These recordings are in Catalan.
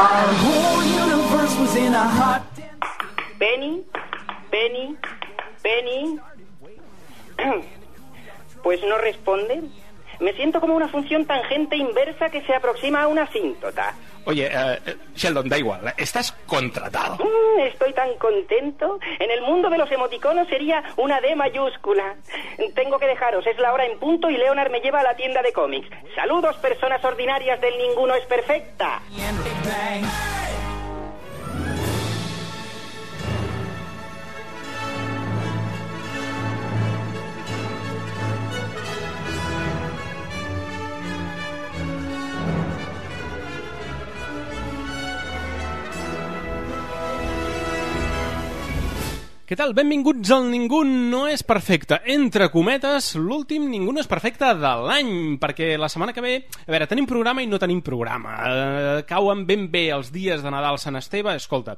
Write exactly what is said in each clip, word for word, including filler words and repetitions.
Our whole universe was in a hot... Penny, Penny, Penny. Pues no responde. Me siento como una función tangente inversa que se aproxima a una asíntota. Oye, uh, Sheldon, da igual, estás contratado. Mm, estoy tan contento. En el mundo de los emoticonos sería una D mayúscula. Tengo que dejaros, es la hora en punto y Leonard me lleva a la tienda de cómics. Saludos, personas ordinarias del Ninguno es Perfecta. Què tal? Benvinguts al Ningú no és perfecte. Entre cometes, l'últim Ningú no és perfecte de l'any, perquè la setmana que ve... A veure, tenim programa i no tenim programa. Eh, cauen ben bé els dies de Nadal Sant Esteve. Escolta,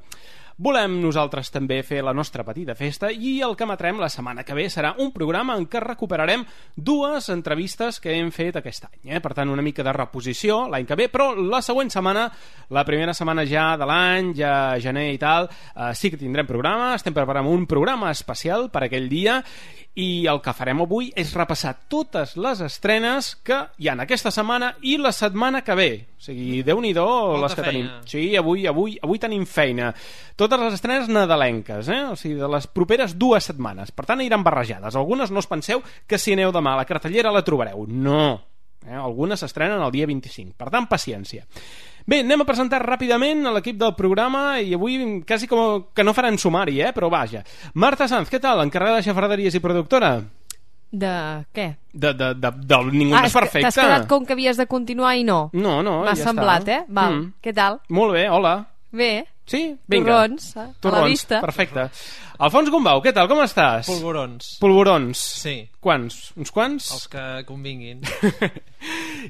volem nosaltres també fer la nostra petita festa i el que emetrem la setmana que ve serà un programa en què recuperarem dues entrevistes que hem fet aquest any. Eh? Per tant, una mica de reposició l'any que ve, però la següent setmana, la primera setmana ja de l'any, ja gener i tal, eh, sí que tindrem programa. Estem preparant un programa especial per aquell dia i el que farem avui és repassar totes les estrenes que hi ha aquesta setmana i la setmana que ve. O sigui, Déu-n'hi-do les que tenim. Sí, avui, avui, avui tenim feina. Totes les estrenes nadalenques, eh? O sigui, de les properes dues setmanes. Per tant, iran barrejades. Algunes no us penseu que si aneu demà a la cartellera la trobareu. No. Eh? Algunes s'estrenen el dia vint-i-cinc. Per tant, paciència. Bé, anem a presentar ràpidament a l'equip del programa i avui quasi com que no faran sumari, eh? Però vaja. Marta Sanz, què tal? Encarregada de xafarderies i productora? De què? De, de, de, de Ningú ah, no és perfecte. T'has quedat com que havies de continuar i no? No, no, M'ha ja semblat, està. eh? Val, mm. Què tal? Molt bé, hola. Bé. Sí? Vinga. Torrons, a Torrons, la vista. Perfecte. Alfons Gombau, què tal? Com estàs? Polvorons. Polvorons. Sí. Quants? Uns quants? Els que convinguin.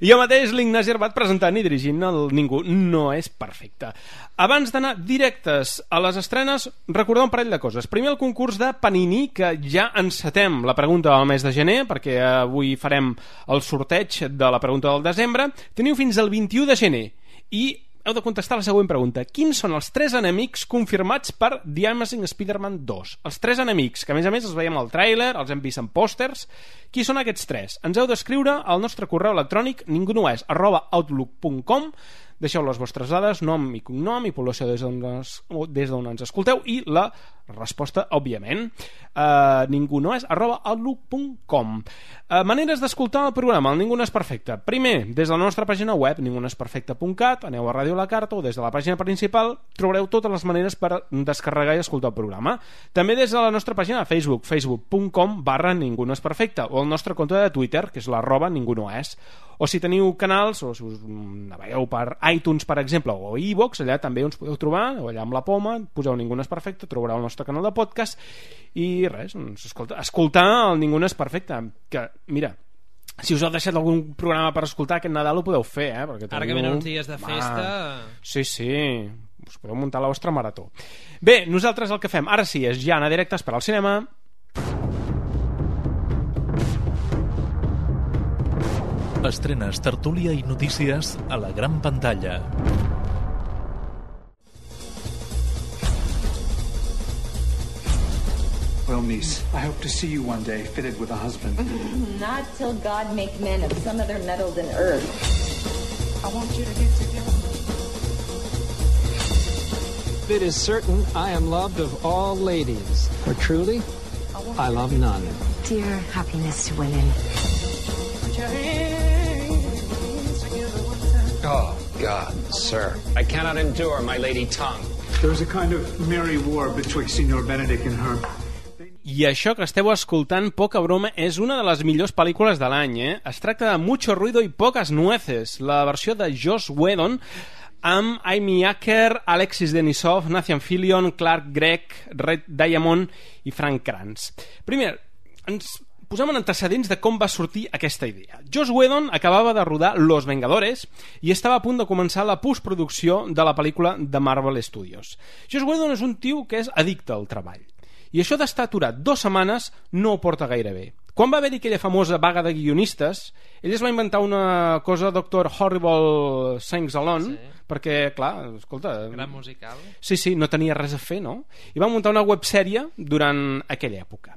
I jo mateix, l'Ignasi Arbat, presentant i dirigint el Ningú no és perfecte. Abans d'anar directes a les estrenes, recordar un parell de coses. Primer, el concurs de Panini, que ja encetem la pregunta del mes de gener, perquè avui farem el sorteig de la pregunta del desembre. Teniu fins al vint-i-u de gener i heu de contestar la següent pregunta. Quins són els tres enemics confirmats per The Amazing Spider-Man dos? Els tres enemics, que a més a més els veiem al tràiler, els hem vist en pòsters. Qui són aquests tres? Ens heu d'escriure al nostre correu electrònic ningunoes arroba outlook punt com. Deixeu les vostres dades, nom i cognom i població des d'on ens, des d'on ens escolteu i la resposta, òbviament, uh, ningunoes arroba outlook punt com. Uh, maneres d'escoltar el programa, el Ningú no és perfecte. Primer, des de la nostra pàgina web, ningunoesperfecte punt cat, aneu a Ràdio La Carta o des de la pàgina principal trobareu totes les maneres per descarregar i escoltar el programa. També des de la nostra pàgina de Facebook, facebook punt com barra Ningú no és perfecte, o el nostre compte de Twitter, que és l'arroba ningunoes. O si teniu canals, o si us navegueu per iTunes, per exemple, o iVoox, allà també uns podeu trobar, o allà amb la poma, poseu Ningú no és perfecte, trobareu el nostre canal de podcast i res, doncs, escolta, escoltar el Ningú no és perfecte, que, mira, si us heu deixat algun programa per escoltar aquest Nadal ho podeu fer, eh? Perquè ara que venen uns dies de festa... Va. Sí, sí, us podeu muntar la vostra marató. Bé, nosaltres el que fem ara sí és ja anar directes per al cinema. Estrenes, tertúlia i notícies a la gran pantalla. Well, niece, I hope to see you one day fitted with a husband. Not till God make men of some other metal than earth. I want you to get together. It is certain I am loved of all ladies, for truly, I love none. Dear happiness to women. Oh, God, sir. I cannot endure my lady tongue. There was a kind of merry war betwixt Signor Benedict and her. I això que esteu escoltant, poca broma, és una de les millors pel·lícules de l'any, eh? Es tracta de Mucho ruido y pocas nueces, la versió de Joss Whedon amb Amy Acker, Alexis Denisov, Nathan Fillion, Clark Gregg, Red Diamond i Frank Kranz. Primer, ens posem en antecedents de com va sortir aquesta idea. Joss Whedon acabava de rodar Los Vengadores i estava a punt de començar la postproducció de la pel·lícula de Marvel Studios. Joss Whedon és un tio que és addicte al treball. I això d'estar aturat dues setmanes no ho porta gaire bé. Quan va haver-hi aquella famosa vaga de guionistes, ell es va inventar una cosa, doctor Horrible Sings Alone, sí. perquè, clar, escolta... Gran musical. Sí, sí, no tenia res a fer, no? I va muntar una websèrie durant aquella època.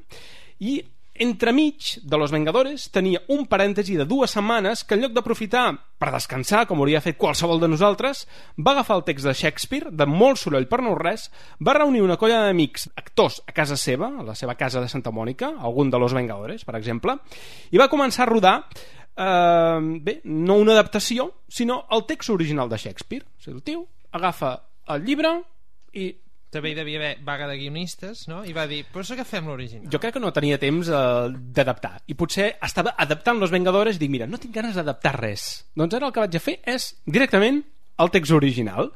I entremig de Los Vengadores tenia un parèntesi de dues setmanes que en lloc d'aprofitar per descansar, com hauria fet qualsevol de nosaltres, va agafar el text de Shakespeare, de molt soroll per no res, va reunir una colla d'amics actors a casa seva, a la seva casa de Santa Mònica, algun de Los Vengadores, per exemple, i va començar a rodar eh, bé, no una adaptació, sinó el text original de Shakespeare. O sigui, el tio agafa el llibre i... També hi devia haver vaga de guionistes, no? I va dir, però això que fem l'original. Jo crec que no tenia temps eh, d'adaptar. I potser estava adaptant Los Vengadores i dic, mira, no tinc ganes d'adaptar res. Doncs ara el que vaig a fer és directament el text original.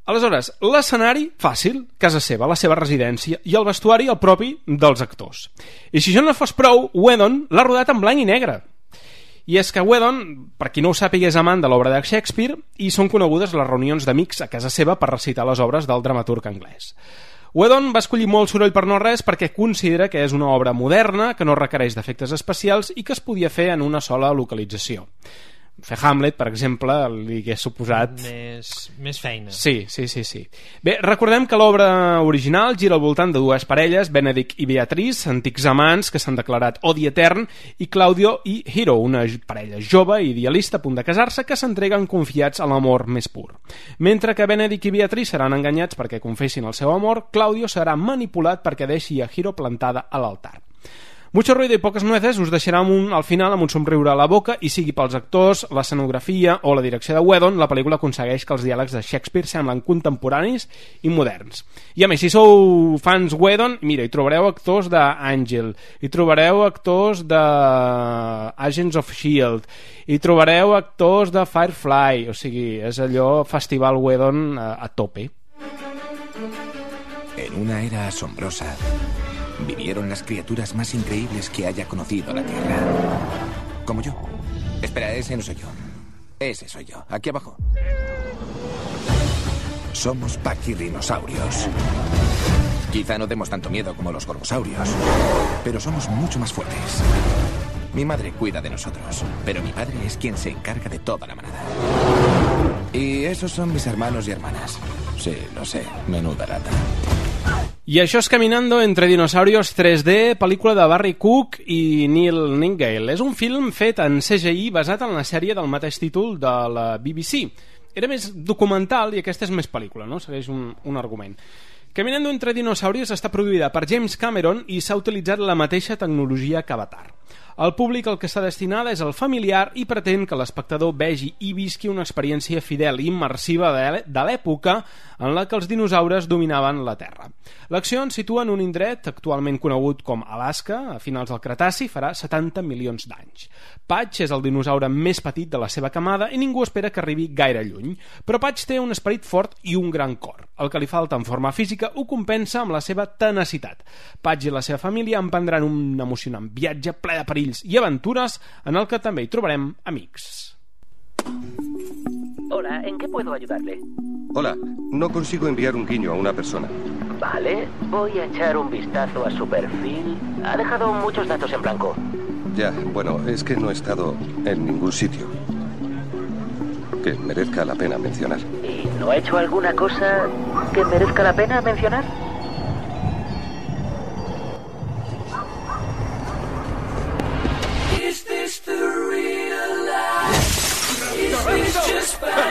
Aleshores, l'escenari, fàcil, casa seva, la seva residència, i el vestuari el propi dels actors. I si això no fos prou, Whedon l'ha rodat en blanc i negre. I és que Whedon, per qui no ho sàpiga, és amant de l'obra de Shakespeare i són conegudes les reunions d'amics a casa seva per recitar les obres del dramaturg anglès. Whedon va escollir molt soroll per no res perquè considera que és una obra moderna, que no requereix d'efectes especials i que es podia fer en una sola localització. Fer Hamlet, per exemple, li hagués suposat... Més, més feina. Sí, sí, sí, sí. Bé, recordem que l'obra original gira al voltant de dues parelles, Benedict i Beatrice, antics amants que s'han declarat odi etern, i Claudio i Hero, una parella jove i idealista a punt de casar-se que s'entreguen confiats a l'amor més pur. Mentre que Benedict i Beatrice seran enganyats perquè confessin el seu amor, Claudio serà manipulat perquè deixi a Hero plantada a l'altar. Mucho ruido i poques nueces us deixarà un, al final amb un somriure a la boca i sigui pels actors, l'escenografia o la direcció de Whedon, la pel·lícula aconsegueix que els diàlegs de Shakespeare semblen contemporanis i moderns. I a més, si sou fans Whedon, mira, hi trobareu actors d'Àngel, hi trobareu actors de Agents of S H I E L D, hi trobareu actors de Firefly, o sigui, és allò festival Whedon a, a tope. En una era asombrosa vivieron las criaturas más increíbles que haya conocido la Tierra. Como yo. Espera, ese no soy yo. Ese soy yo. Aquí abajo. Somos pachyrhinosaurios. Quizá no demos tanto miedo como los gorgosaurios, pero somos mucho más fuertes. Mi madre cuida de nosotros, pero mi padre es quien se encarga de toda la manada. Y esos son mis hermanos y hermanas. Sí, lo sé. Menuda lata. I això és Caminando entre dinosaurios tres D, pel·lícula de Barry Cook i Neil Nightingale. És un film fet en C G I basat en la sèrie del mateix títol de la B B C. Era més documental i aquesta és més pel·lícula, no? Segueix un, un argument. Caminando entre dinosaurios està produïda per James Cameron i s'ha utilitzat la mateixa tecnologia que Avatar. El públic al que està destinada és el familiar i pretén que l'espectador vegi i visqui una experiència fidel i immersiva de l'època en la que els dinosaures dominaven la Terra. L'acció ens situa en un indret actualment conegut com Alaska, a finals del Cretaci, farà setanta milions d'anys. Patch és el dinosaure més petit de la seva camada i ningú espera que arribi gaire lluny, però Patch té un esperit fort i un gran cor. El que li falta en forma física ho compensa amb la seva tenacitat. Patch i la seva família emprendran un emocionant viatge ple de perills i aventures en el que també hi trobarem amics. Hola, ¿en qué puedo ayudarle? Hola, no consigo enviar un guiño a una persona. Vale, voy a echar un vistazo a su perfil. Ha dejado muchos datos en blanco. Ya, bueno, es que no he estado en ningún sitio que merezca la pena mencionar. ¿Y no ha hecho alguna cosa que merezca la pena mencionar?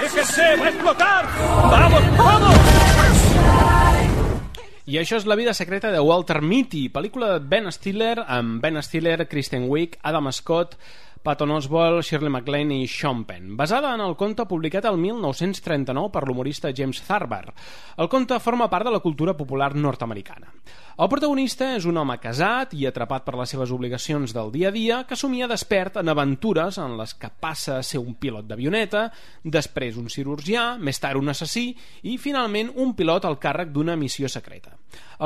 ¡Déjese, va a explotar! ¡Vamos, vamos! I això és La vida secreta de Walter Mitty, pel·lícula de Ben Stiller, amb Ben Stiller, Kristen Wiig, Adam Scott, Patton Oswalt, Shirley MacLaine i Sean Penn, basada en el conte publicat el mil nou-cents trenta-nou per l'humorista James Thurber. El conte forma part de la cultura popular nord-americana. El protagonista és un home casat i atrapat per les seves obligacions del dia a dia que somia despert en aventures en les que passa a ser un pilot d'avioneta, després un cirurgià, més tard un assassí i finalment un pilot al càrrec d'una missió secreta.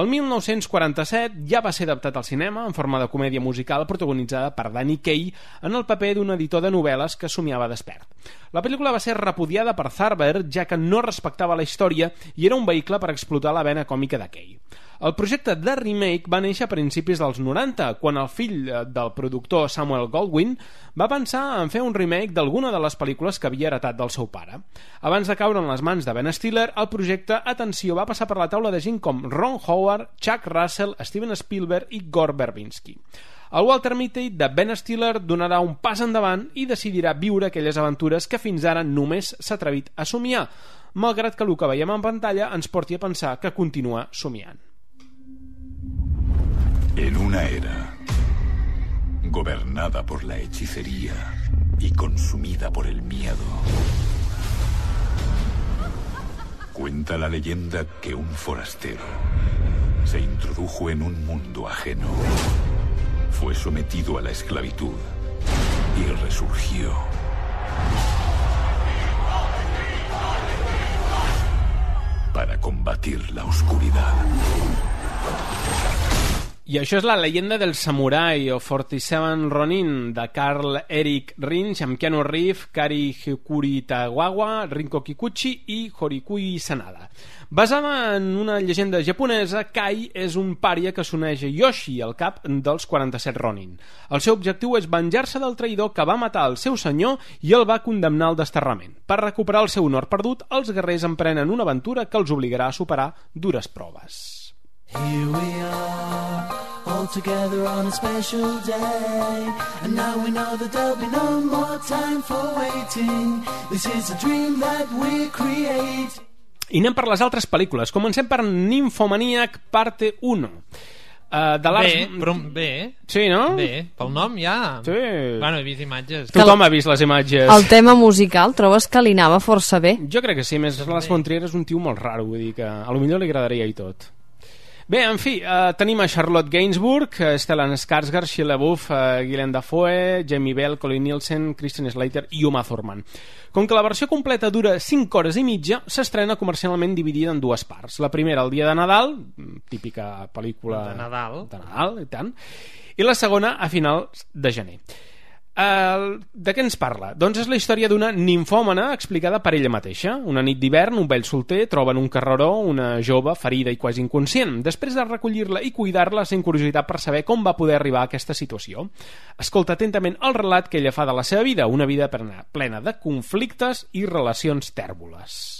El mil nou-cents quaranta-set ja va ser adaptat al cinema en forma de comèdia musical protagonitzada per Danny Kaye en el paper d'un editor de novel·les que somiava despert. La pel·lícula va ser repudiada per Thurber, ja que no respectava la història i era un vehicle per explotar la vena còmica de Kay. El projecte de remake va néixer a principis dels noranta, quan el fill del productor Samuel Goldwyn va pensar en fer un remake d'alguna de les pel·lícules que havia heretat del seu pare. Abans de caure en les mans de Ben Stiller, el projecte, atenció, va passar per la taula de gent com Ron Howard, Chuck Russell, Steven Spielberg i Gore Verbinski. El Walter Mitty de Ben Stiller donarà un pas endavant i decidirà viure aquelles aventures que fins ara només s'ha atrevit a somiar, malgrat que el que veiem en pantalla ens porti a pensar que continua somiant. En una era gobernada por la hechicería y consumida por el miedo, cuenta la leyenda que un forastero se introdujo en un mundo ajeno, fue sometido a la esclavitud y resurgió. Para combatir la oscuridad. I això és la leyenda del samurai o quaranta-set Ronin de Karl Erik Rinch amb Keanu Reeves, Kari Hikuritawa, Rinko Kikuchi i Horikui Sanada. Basada en una llegenda japonesa, Kai és un pària que s'uneix a Yoshi, el cap dels quaranta-set Ronin. El seu objectiu és venjar-se del traïdor que va matar el seu senyor i el va condemnar al desterrament. Per recuperar el seu honor perdut, els guerrers emprenen una aventura que els obligarà a superar dures proves. Here we are, all together on a special day, and now we know that there'll be no more time for waiting. This is a dream that we create. I anem per les altres pel·lícules. Comencem per Nymphomaniac parte uno. Uh, de bé, però bé. Sí, no? Bé, pel nom ja. Sí. Bueno, he vist imatges. Tothom ha vist les imatges. El tema musical trobes que li anava força bé? Jo crec que sí, més Lars von Trier és un tio molt raro, vull dir que a lo millor li agradaria i tot. Bé, en fi, eh, tenim a Charlotte Gainsbourg, Stellan Skarsgård, Shia LaBeouf, eh, Willem Dafoe, Jamie Bell, Colin Nielsen, Christian Slater i Uma Thurman. Com que la versió completa dura cinc hores i mitja, s'estrena comercialment dividida en dues parts. La primera el dia de Nadal, típica pel·lícula de Nadal, de Nadal i tant, i la segona a finals de gener. Uh, de què ens parla? Doncs és la història d'una nimfòmana explicada per ella mateixa. Una nit d'hivern, un vell solter troba en un carreró una jove ferida i quasi inconscient. Després de recollir-la i cuidar-la, sent curiositat per saber com va poder arribar a aquesta situació. Escolta atentament el relat que ella fa de la seva vida, una vida plena, plena de conflictes i relacions tèrboles.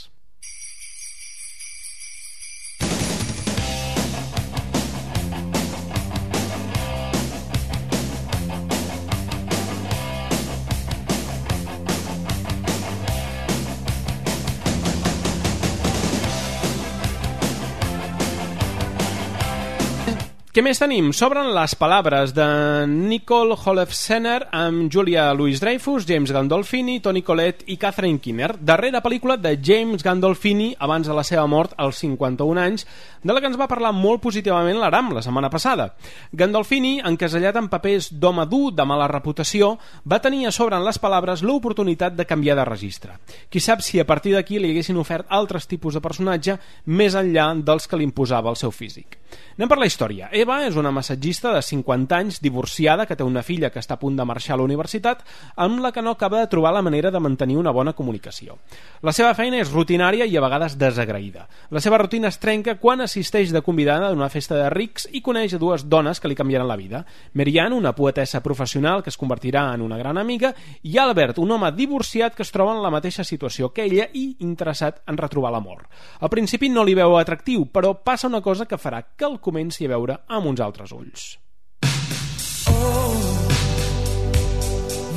Què més tenim? S'obren les palabres de Nicole Holofcener amb Julia Louis-Dreyfus, James Gandolfini, Toni Collette i Catherine Keener, darrera pel·lícula de James Gandolfini abans de la seva mort als cinquanta-un anys, de la que ens va parlar molt positivament l'Aram la setmana passada. Gandolfini, encasellat en papers d'home dur, de mala reputació, va tenir a sobre en les palabres l'oportunitat de canviar de registre. Qui sap si a partir d'aquí li haguessin ofert altres tipus de personatge més enllà dels que li imposava el seu físic. Anem per la història. Eva és una massatgista de cinquanta anys, divorciada, que té una filla que està a punt de marxar a la universitat, amb la que no acaba de trobar la manera de mantenir una bona comunicació. La seva feina és rutinària i a vegades desagraïda. La seva rutina es trenca quan assisteix de convidada a una festa de rics i coneix a dues dones que li canviaran la vida. Marianne, una poetessa professional que es convertirà en una gran amiga, i Albert, un home divorciat que es troba en la mateixa situació que ella i interessat en retrobar l'amor. Al principi no li veu atractiu, però passa una cosa que farà que el comenci a veure amb uns altres ulls. Oh,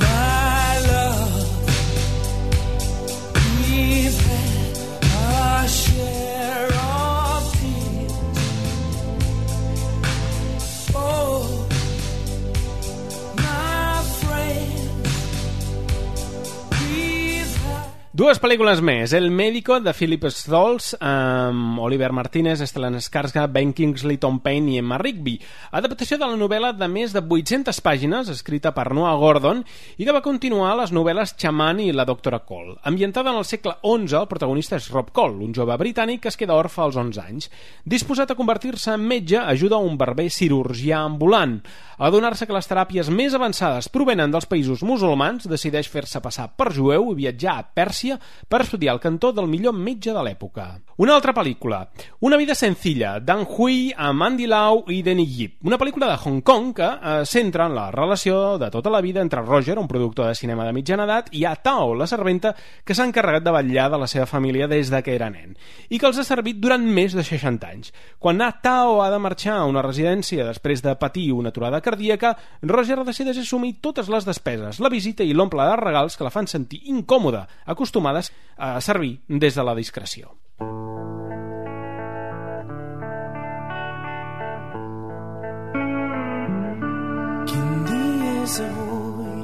my love, we've had our share of tears. Oh, my friend, we've had... Dues pel·lícules més. El Médico, de Philip Stoltz, amb Oliver Martínez, Stellan Skarsgård, Ben Kingsley, Tom Payne i Emma Rigby. Adaptació de la novel·la de més de vuit-centes pàgines, escrita per Noah Gordon, i que va continuar les novel·les Xaman i La doctora Cole. Ambientada en el segle onze, el protagonista és Rob Cole, un jove britànic que es queda orfe als onze anys. Disposat a convertir-se en metge, ajuda un barber cirurgià ambulant. A adonar-se que les teràpies més avançades provenen dels països musulmans, decideix fer-se passar per jueu i viatjar a Pèrsia per estudiar el cantó del millor metge de l'època. Una altra pel·lícula, Una vida sencilla, d'Ang Hui amb Andy Lau i Denny Yip. Una pel·lícula de Hong Kong que eh, centra en la relació de tota la vida entre Roger, un productor de cinema de mitjana edat, i a Tao, la serventa, que s'ha encarregat de vetllar de la seva família des de que era nen, i que els ha servit durant més de seixanta anys. Quan A Tao ha de marxar a una residència després de patir una aturada cardíaca, Roger decideix assumir totes les despeses, la visita i l'omple de regals que la fan sentir incòmoda, acostumades a servir des de la discreció. Quin dia és avui?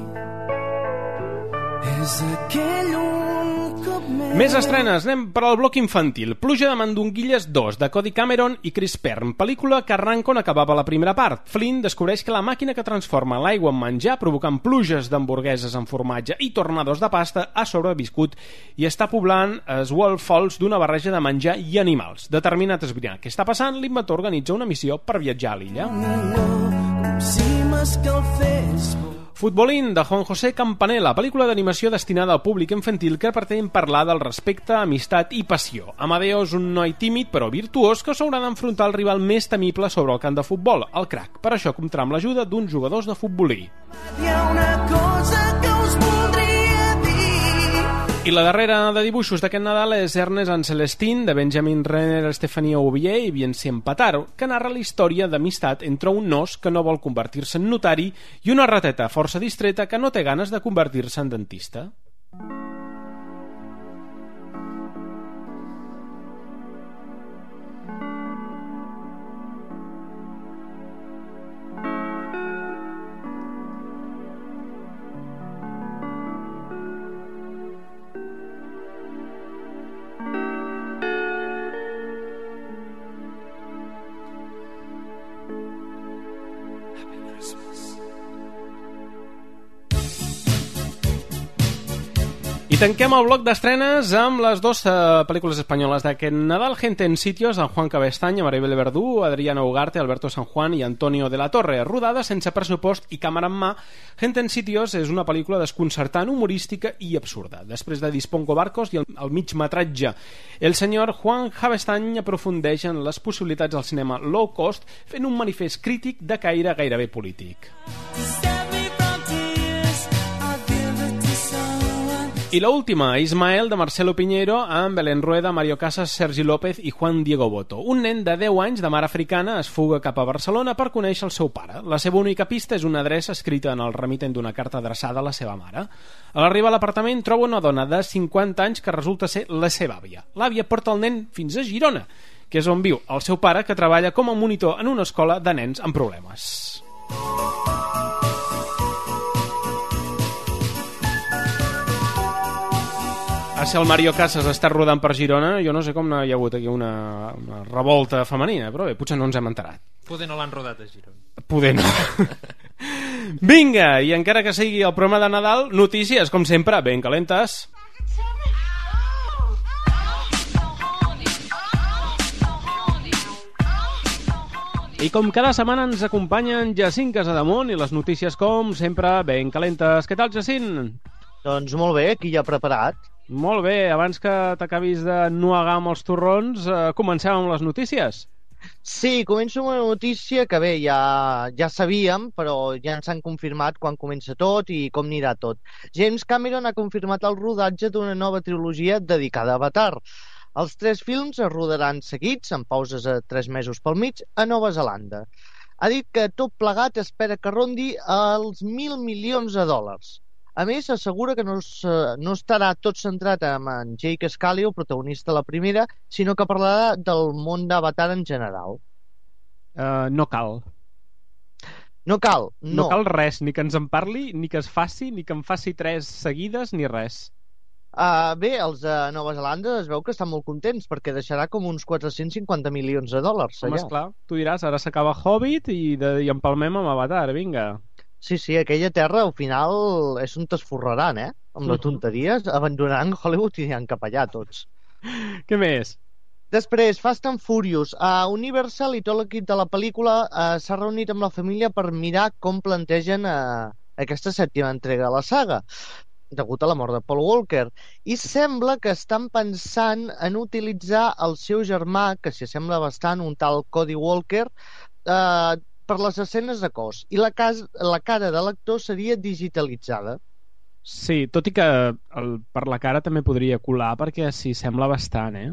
És aquell un cop més... Més estrenes, anem per al bloc infantil. Pluja de mandonguilles dos, de Cody Cameron i Chris Pern, pel·lícula que arranca on acabava la primera part. Flynn descobreix que la màquina que transforma l'aigua en menjar, provocant pluges d'hamburgueses amb formatge i tornados de pasta, ha sobreviscut i està poblant Swall Falls d'una barreja de menjar i animals. Determinat a esbrinar què està passant, l'inventor organitza una missió per viatjar a l'illa. Com si m'escalfés... Futbolín, de Juan José Campanella, pel·lícula d'animació destinada al públic infantil que pretén parlar del respecte, amistat i passió. Amadeo és un noi tímid però virtuós que s'haurà d'enfrontar al rival més temible sobre el camp de futbol, el crac. Per això comptarà amb l'ajuda d'uns jugadors de futbolí. Hi ha una cosa que us voldria dir. I la darrera de dibuixos d'aquest Nadal és Ernest and Celestine, de Benjamin Renner, Estefania Oubier i Vincent Pataro, que narra la història d'amistat entre un nos que no vol convertir-se en notari i una rateta força distreta que no té ganes de convertir-se en dentista. I tanquem el bloc d'estrenes amb les dues uh, pel·lícules espanyoles d'aquest Nadal, Gente en Sitios, de Juan Cabestany, Maribel Verdú, Adriana Ugarte, Alberto San Juan i Antonio de la Torre. Rodada sense pressupost i càmera en mà, Gente en Sitios és una pel·lícula desconcertant, humorística i absurda. Després de Dispongo Barcos i el, el migmetratge, el senyor Juan Cabestany aprofundeix en les possibilitats del cinema low cost, fent un manifest crític de caire gairebé polític. I l'última, Ismael, de Marcelo Piñero, amb Belén Rueda, Mario Casas, Sergi López i Juan Diego Boto. Un nen de deu anys de mare africana es fuga cap a Barcelona per conèixer el seu pare. La seva única pista és una adreça escrita en el remitent d'una carta adreçada a la seva mare. A l'arribar a l'apartament troba una dona de cinquanta anys que resulta ser la seva àvia. L'àvia porta el nen fins a Girona, que és on viu el seu pare, que treballa com a monitor en una escola de nens amb problemes. Si el Mario Casas està rodant per Girona, jo no sé com hi ha hagut aquí una, una revolta femenina, però bé, potser no ens hem enterat. Poder no l'han rodat a Girona. Poder no. Vinga, i encara que sigui el programa de Nadal, notícies, com sempre, ben calentes. I com cada setmana ens acompanyen Jacint Casademont i les notícies, com sempre, ben calentes. Què tal, Jacint? Doncs molt bé, aquí ja preparat. Molt bé, abans que t'acabis de nuegar amb els torrons, eh, comencem amb les notícies. Sí, començo amb una notícia que bé, ja, ja sabíem, però ja ens han confirmat quan comença tot i com anirà tot. James Cameron ha confirmat el rodatge d'una nova trilogia dedicada a Avatar. Els tres films es rodaran seguits, amb pauses a tres mesos pel mig, a Nova Zelanda. Ha dit que tot plegat espera que rondi els mil milions de dòlars. A més, assegura que no, es, no estarà tot centrat en Jake Sully, el protagonista de la primera, sinó que parlarà del món d'Avatar en general. Uh, no cal. No cal, no. No cal res, ni que ens en parli, ni que es faci, ni que en faci tres seguides, ni res. Uh, bé, els de Nova Zelanda es veu que estan molt contents perquè deixarà com uns quatre-cents cinquanta milions de dòlars Home, allà. esclar, tu diràs, ara s'acaba Hobbit i, de, i empalmem amb Avatar, vinga. Sí, sí, aquella terra al final és on t'esforraran, eh? Amb les tonteries, abandonaran Hollywood i aniran cap allà tots. Què més? Després, Fast and Furious. A Universal i tot l'equip de la pel·lícula uh, s'ha reunit amb la família per mirar com plantegen uh, aquesta sèptima entrega de la saga, degut a la mort de Paul Walker. I sembla que estan pensant en utilitzar el seu germà, que s'hi sembla bastant, un tal Cody Walker, eh, per les escenes de cos. I la, cas, la cara de l'actor seria digitalitzada. Sí, tot i que el, per la cara també podria colar, perquè s'hi sembla bastant, eh?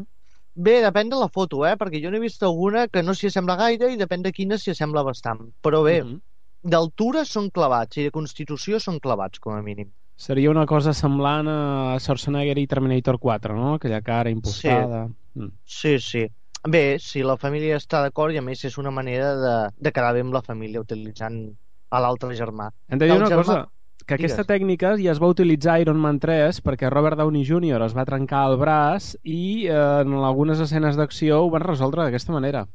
Bé, depèn de la foto, eh? Perquè jo n'he vist alguna que no s'hi sembla gaire i depèn de quina s'hi sembla bastant. Però bé, mm-hmm. d'altura són clavats i de constitució són clavats, com a mínim. Seria una cosa semblant a Schwarzenegger i Terminator quatre, no? Aquella cara impostada. Sí, mm. sí, sí. Bé, si la família està d'acord, i a més és una manera de, de quedar bé amb la família utilitzant a l'altre germà. Hem de dir una germà... cosa, que aquesta Digues. tècnica ja es va utilitzar a Iron Man tres perquè Robert Downey júnior es va trencar el braç i eh, en algunes escenes d'acció ho van resoldre d'aquesta manera.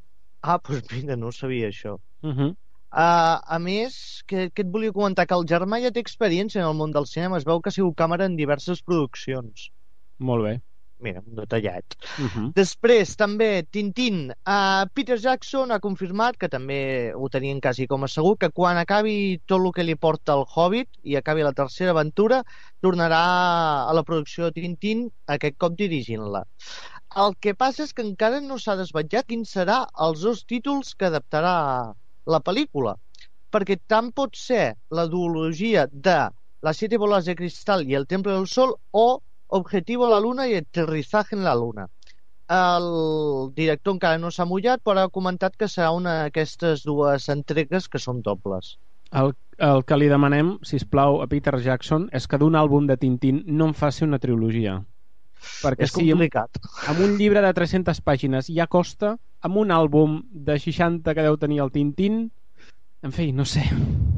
Ah, doncs mira, no sabia això. Uh -huh. Uh, a més, que, que et volia comentar que el germà ja té experiència en el món del cinema. Es veu que ha sigut càmera en diverses produccions. Molt bé. Mira, un detallat. Uh -huh. Després, també, Tintín. Uh, Peter Jackson ha confirmat, que també ho tenien quasi com a segur, que quan acabi tot el que li porta el Hobbit i acabi la tercera aventura, tornarà a la producció de Tintín, aquest cop dirigint-la. El que passa és que encara no s'ha desvetllat quins serà els dos títols que adaptarà la pel·lícula, perquè tant pot ser la duologia de Las siete bolas de cristal i El Templo del Sol o Objetivo a la Luna i Aterrizaje en la Luna. El director encara no s'ha mullat, però ha comentat que serà una d'aquestes dues entregues que són dobles. El, el que li demanem, sisplau, a Peter Jackson és que d'un àlbum de Tintín no en faci una trilogia. Perquè és complicat. Si amb un llibre de tres-centes pàgines ja costa, amb un àlbum de seixanta que deu tenir el Tintín, en fi, no sé.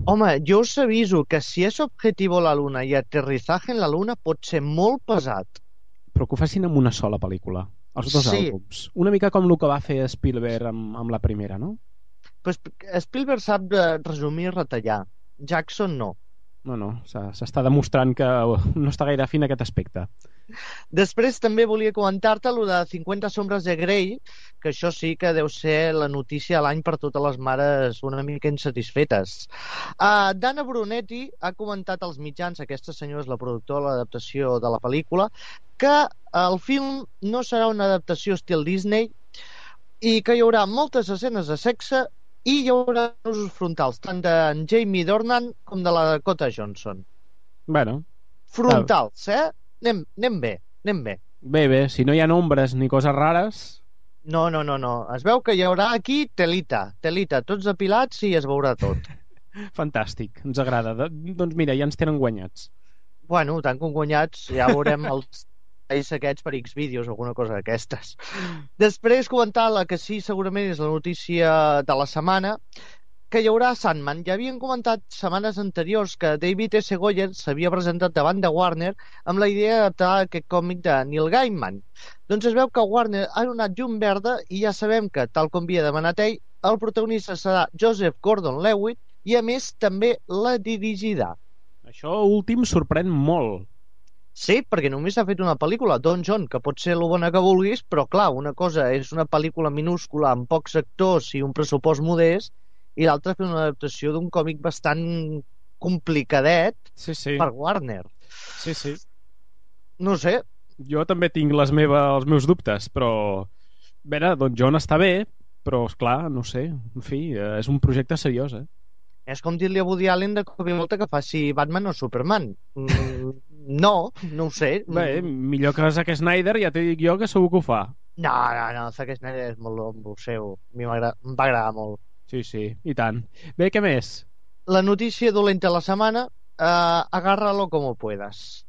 Home, jo us aviso que si és Objetivo a la Luna i Aterrizaje en la Luna pot ser molt pesat. Però que ho facin amb una sola pel·lícula, els dos sí. àlbums. Una mica com el que va fer Spielberg amb, amb la primera, no? Pues Spielberg sap resumir i retallar. Jackson no. No, no, s'està demostrant que no està gaire fin aquest aspecte. Després també volia comentar-te el de cinquanta sombres de Grey, que això sí que deu ser la notícia de l'any per totes les mares una mica insatisfetes. Uh, Dana Brunetti ha comentat als mitjans, aquesta senyora és la productora de l'adaptació de la pel·lícula, que el film no serà una adaptació estil Disney i que hi haurà moltes escenes de sexe i hi haurà usos frontals, tant d'en Jamie Dornan com de la Dakota Johnson. Bueno. Frontals, eh? Anem, anem bé, anem bé. Bé, bé, si no hi ha nombres ni coses rares... No, no, no, no. Es veu que hi haurà aquí telita, telita, tots depilats i es veurà tot. Fantàstic, ens agrada. Doncs mira, ja ens tenen guanyats. Bueno, tant com guanyats, ja veurem els ells aquests per X vídeos o alguna cosa d'aquestes. Després comentar la que sí, segurament és la notícia de la setmana, que hi haurà Sandman. Ja havien comentat setmanes anteriors que David S. Goyer s'havia presentat davant de Warner amb la idea d'adaptar aquest còmic de Neil Gaiman. Doncs es veu que Warner ha donat llum verda i ja sabem que, tal com havia demanat ell, el protagonista serà Joseph Gordon-Levitt i, a més, també la dirigirà. Això últim sorprèn molt. Sí, perquè només ha fet una pel·lícula, Don John, que pot ser el bona que vulguis, però clar, una cosa és una pel·lícula minúscula amb pocs actors i un pressupost modest, i l'altra fer una adaptació d'un còmic bastant complicadet sí, sí. per Warner. Sí, sí. No sé. Jo també tinc les meves, els meus dubtes, però... A veure, Don John està bé, però, esclar, no sé, en fi, és un projecte seriós, eh? És com dir-li a Woody Allen de cop i volta que faci Batman o Superman. Mm, no, no ho sé. Bé, millor que Zack Snyder, ja t'he dit jo que segur que ho fa. No, no, no, Zack Snyder és molt amb el seu. A mi em va agradar molt. Sí, sí, i tant. Bé, què més? La notícia dolenta de la setmana, eh, agárralo como puedas.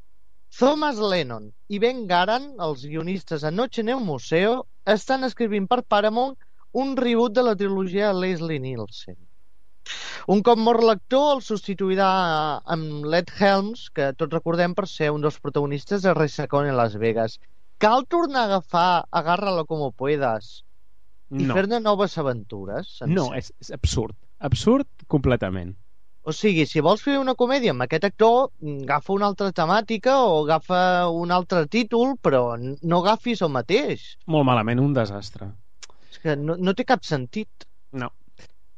Thomas Lennon i Ben Garan, els guionistes a Noche en el Museo, estan escrivint per Paramount un reboot de la trilogia de Leslie Nielsen. Un cop mort l'actor, el substituirà amb Led Helms, que tots recordem per ser un dels protagonistes de Resacón en Las Vegas. Cal tornar a agafar Agárralo como puedas i No. fer-ne noves aventures? No, és, és absurd. Absurd completament. O sigui, si vols fer una comèdia amb aquest actor, agafa una altra temàtica o agafa un altre títol, però no agafis el mateix. Molt malament, un desastre. És que no, no té cap sentit. No.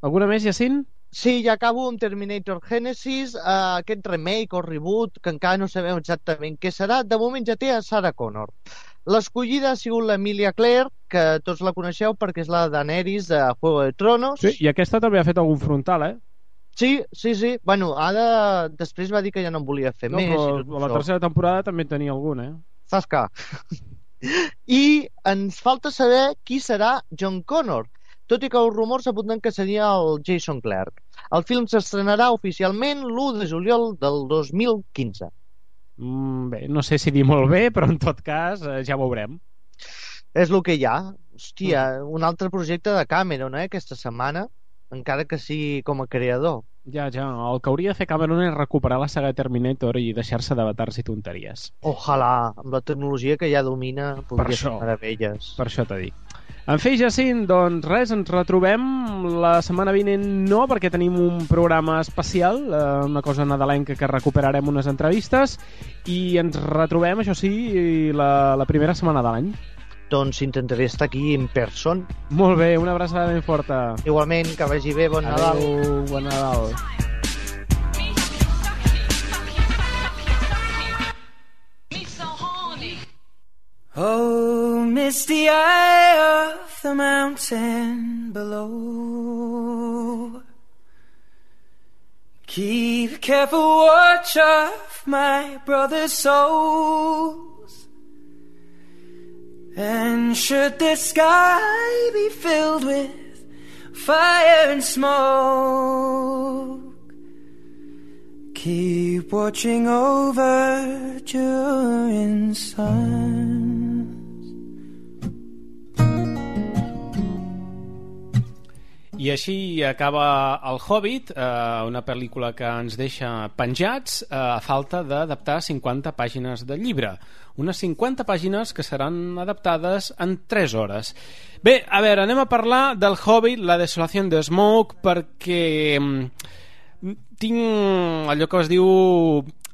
Alguna més, Jacint? Sí, ja acabo amb Terminator Genesis, uh, aquest remake o reboot, que encara no sabem exactament què serà. De moment ja té a Sarah Connor. L'escollida ha sigut l'Emilia Clarke, que tots la coneixeu perquè és la Daenerys de Juego de Tronos. Sí, i aquesta també ha fet algun frontal, eh? Sí, sí, sí. Bueno, ara després va dir que ja no en volia fer No, més. però i tot a la això. tercera temporada també en tenia algun, eh? Zasca. I ens falta saber qui serà John Connor, tot i que els rumors apunten que seria el Jason Clarke. El film s'estrenarà oficialment l'u de juliol del dos mil quinze. Mm, bé, no sé si dir molt bé, però en tot cas eh, ja veurem. És el que hi ha. Hòstia, un altre projecte de Cameron, eh, aquesta setmana, encara que sigui com a creador. Ja, ja, el que hauria de fer Cameron és recuperar la saga Terminator i deixar-se d'avatarsi tonteries. Ojalà, amb la tecnologia que ja domina, podria fer això. meravelles. Per això t'ho dic. En fi, Jacint, doncs res, ens retrobem la setmana vinent no, perquè tenim un programa especial, eh, una cosa nadalenca que recuperarem unes entrevistes, i ens retrobem, això sí, la, la primera setmana de l'any. Doncs intentaré estar aquí en person. Molt bé, una abraçada ben forta. Igualment, que vagi bé, bon Nadal. Adéu, bon Nadal. Oh, misty eye of the mountain below, keep careful watch of my brother's souls, and should the sky be filled with fire and smoke, keep watching over during sun. I així acaba El Hobbit, eh, una pel·lícula que ens deixa penjats eh, a falta d'adaptar cinquanta pàgines de llibre. Unes cinquanta pàgines que seran adaptades en tres hores. Bé, a veure, anem a parlar del Hobbit, La desolació de Smoke, perquè mm, tinc allò que es diu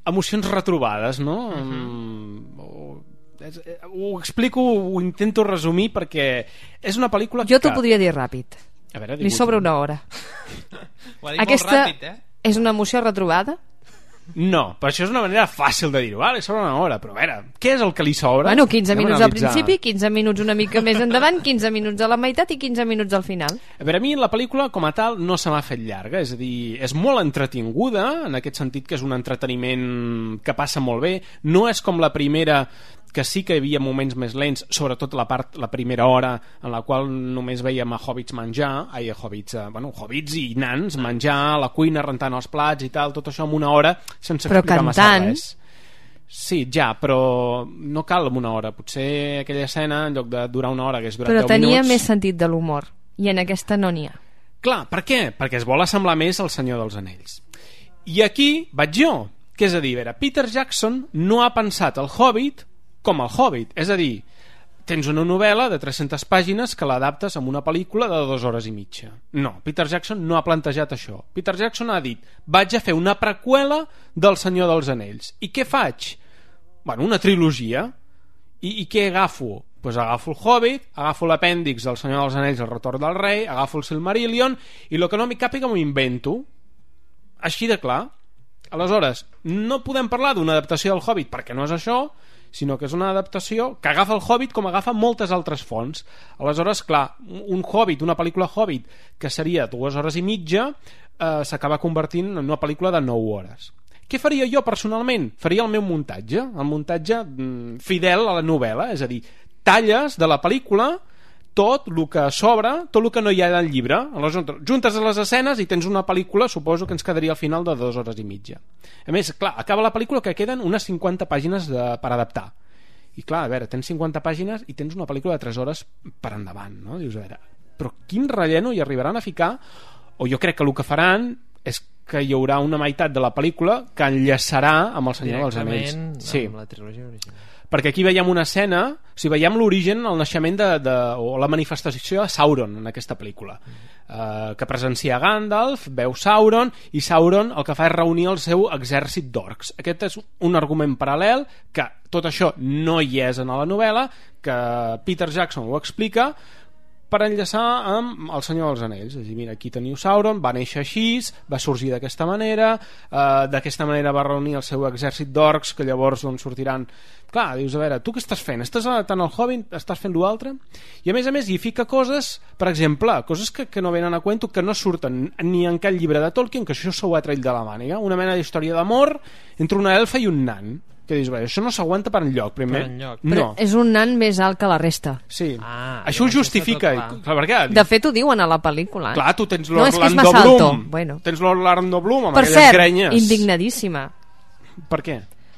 emocions retrobades, no? Mm-hmm. Ho, és, ho explico, ho intento resumir perquè és una pel·lícula jo que... t'ho podria dir ràpid. A veure, li sobra una hora. Ho ha dit Aquesta molt ràpid, eh? és una emoció retrobada? No, però això és una manera fàcil de dir-ho. Vale, sobra una hora, però a veure, què és el que li sobra? Bueno, quinze Anem a minuts al analitzar. principi, quinze minuts una mica més endavant, quinze minuts a la meitat i quinze minuts al final. A veure, a mi la pel·lícula com a tal no se m'ha fet llarga, és a dir, és molt entretinguda, en aquest sentit que és un entreteniment que passa molt bé, no és com la primera, que sí que hi havia moments més lents, sobretot la part, la primera hora en la qual només veiem a hobbits menjar, ai, a hobbits, eh, bueno, hobbits i nans menjar a la cuina, rentant els plats i tal, tot això en una hora sense però explicar massa cantant... res. Sí, ja, però no cal en una hora. Potser aquella escena, en lloc de durar una hora, hagués durat però deu tenia minuts... més sentit de l'humor, i en aquesta no n'hi ha. Clar, per què? Perquè es vol assemblar més al Senyor dels Anells. I aquí vaig jo, que és a dir, a veure, Peter Jackson no ha pensat el Hobbit com el Hobbit, és a dir, tens una novel·la de tres-centes pàgines que l'adaptes amb una pel·lícula de dues hores i mitja. No, Peter Jackson no ha plantejat això. Peter Jackson ha dit, vaig a fer una preqüela del Senyor dels Anells. I què faig? Bueno, una trilogia. I, i què agafo? Pues agafo el Hobbit, agafo l'apèndix del Senyor dels Anells, el retorn del rei, agafo el Silmarillion, i el que no m'hi càpiga m'ho invento. Així de clar. Aleshores, no podem parlar d'una adaptació del Hobbit perquè no és això, sinó que és una adaptació que agafa el Hobbit com agafa moltes altres fonts. Aleshores, clar, un Hobbit, una pel·lícula Hobbit que seria dues hores i mitja, eh, s'acaba convertint en una pel·lícula de nou hores. Què faria jo personalment? Faria el meu muntatge, el muntatge mm, fidel a la novel·la, és a dir, talles de la pel·lícula tot el que sobra, tot el que no hi ha al llibre. Aleshores, juntes les escenes i tens una pel·lícula, suposo que ens quedaria al final de dues hores i mitja. A més, clar, acaba la pel·lícula que queden unes cinquanta pàgines de, per adaptar. I clar, a veure, tens cinquanta pàgines i tens una pel·lícula de tres hores per endavant, no? Dius, a veure, però quin relleno hi arribaran a ficar o jo crec que el que faran és que hi haurà una meitat de la pel·lícula que enllaçarà amb el Senyor dels Anells. Sí. Amb la trilogia original. Perquè aquí veiem una escena, o sigui, veiem l'origen, el naixement de, de, o la manifestació de Sauron en aquesta pel·lícula, uh, que presencia Gandalf, veu Sauron, i Sauron el que fa és reunir el seu exèrcit d'orcs. Aquest és un argument paral·lel, que tot això no hi és en la novel·la, que Peter Jackson ho explica, per enllaçar amb el Senyor dels Anells. És a dir, mira, aquí teniu Sauron, va néixer així, va sorgir d'aquesta manera, eh, d'aquesta manera va reunir el seu exèrcit d'orcs, que llavors doncs, sortiran... Clar, dius, a veure, tu què estàs fent? Estàs adaptant el Hobbit? Estàs fent l'altre? I a més a més hi fica coses, per exemple, coses que, que no venen a cuento, que no surten ni en cap llibre de Tolkien, que això s'ho ha tret de la màniga, una mena d'història d'amor entre una elfa i un nan. Que dius, bé, això no s'aguanta per enlloc, primer. Per enlloc. No. Però és un nan més alt que la resta. Sí. Ah, això ho justifica. Clar, perquè, de fet, ho diuen a la pel·lícula. Eh? Clar, tu tens no, l'Orlando no Bloom. Bueno. Tens l'Orlando Bloom amb per aquelles cert, grenyes. indignadíssima. Per què?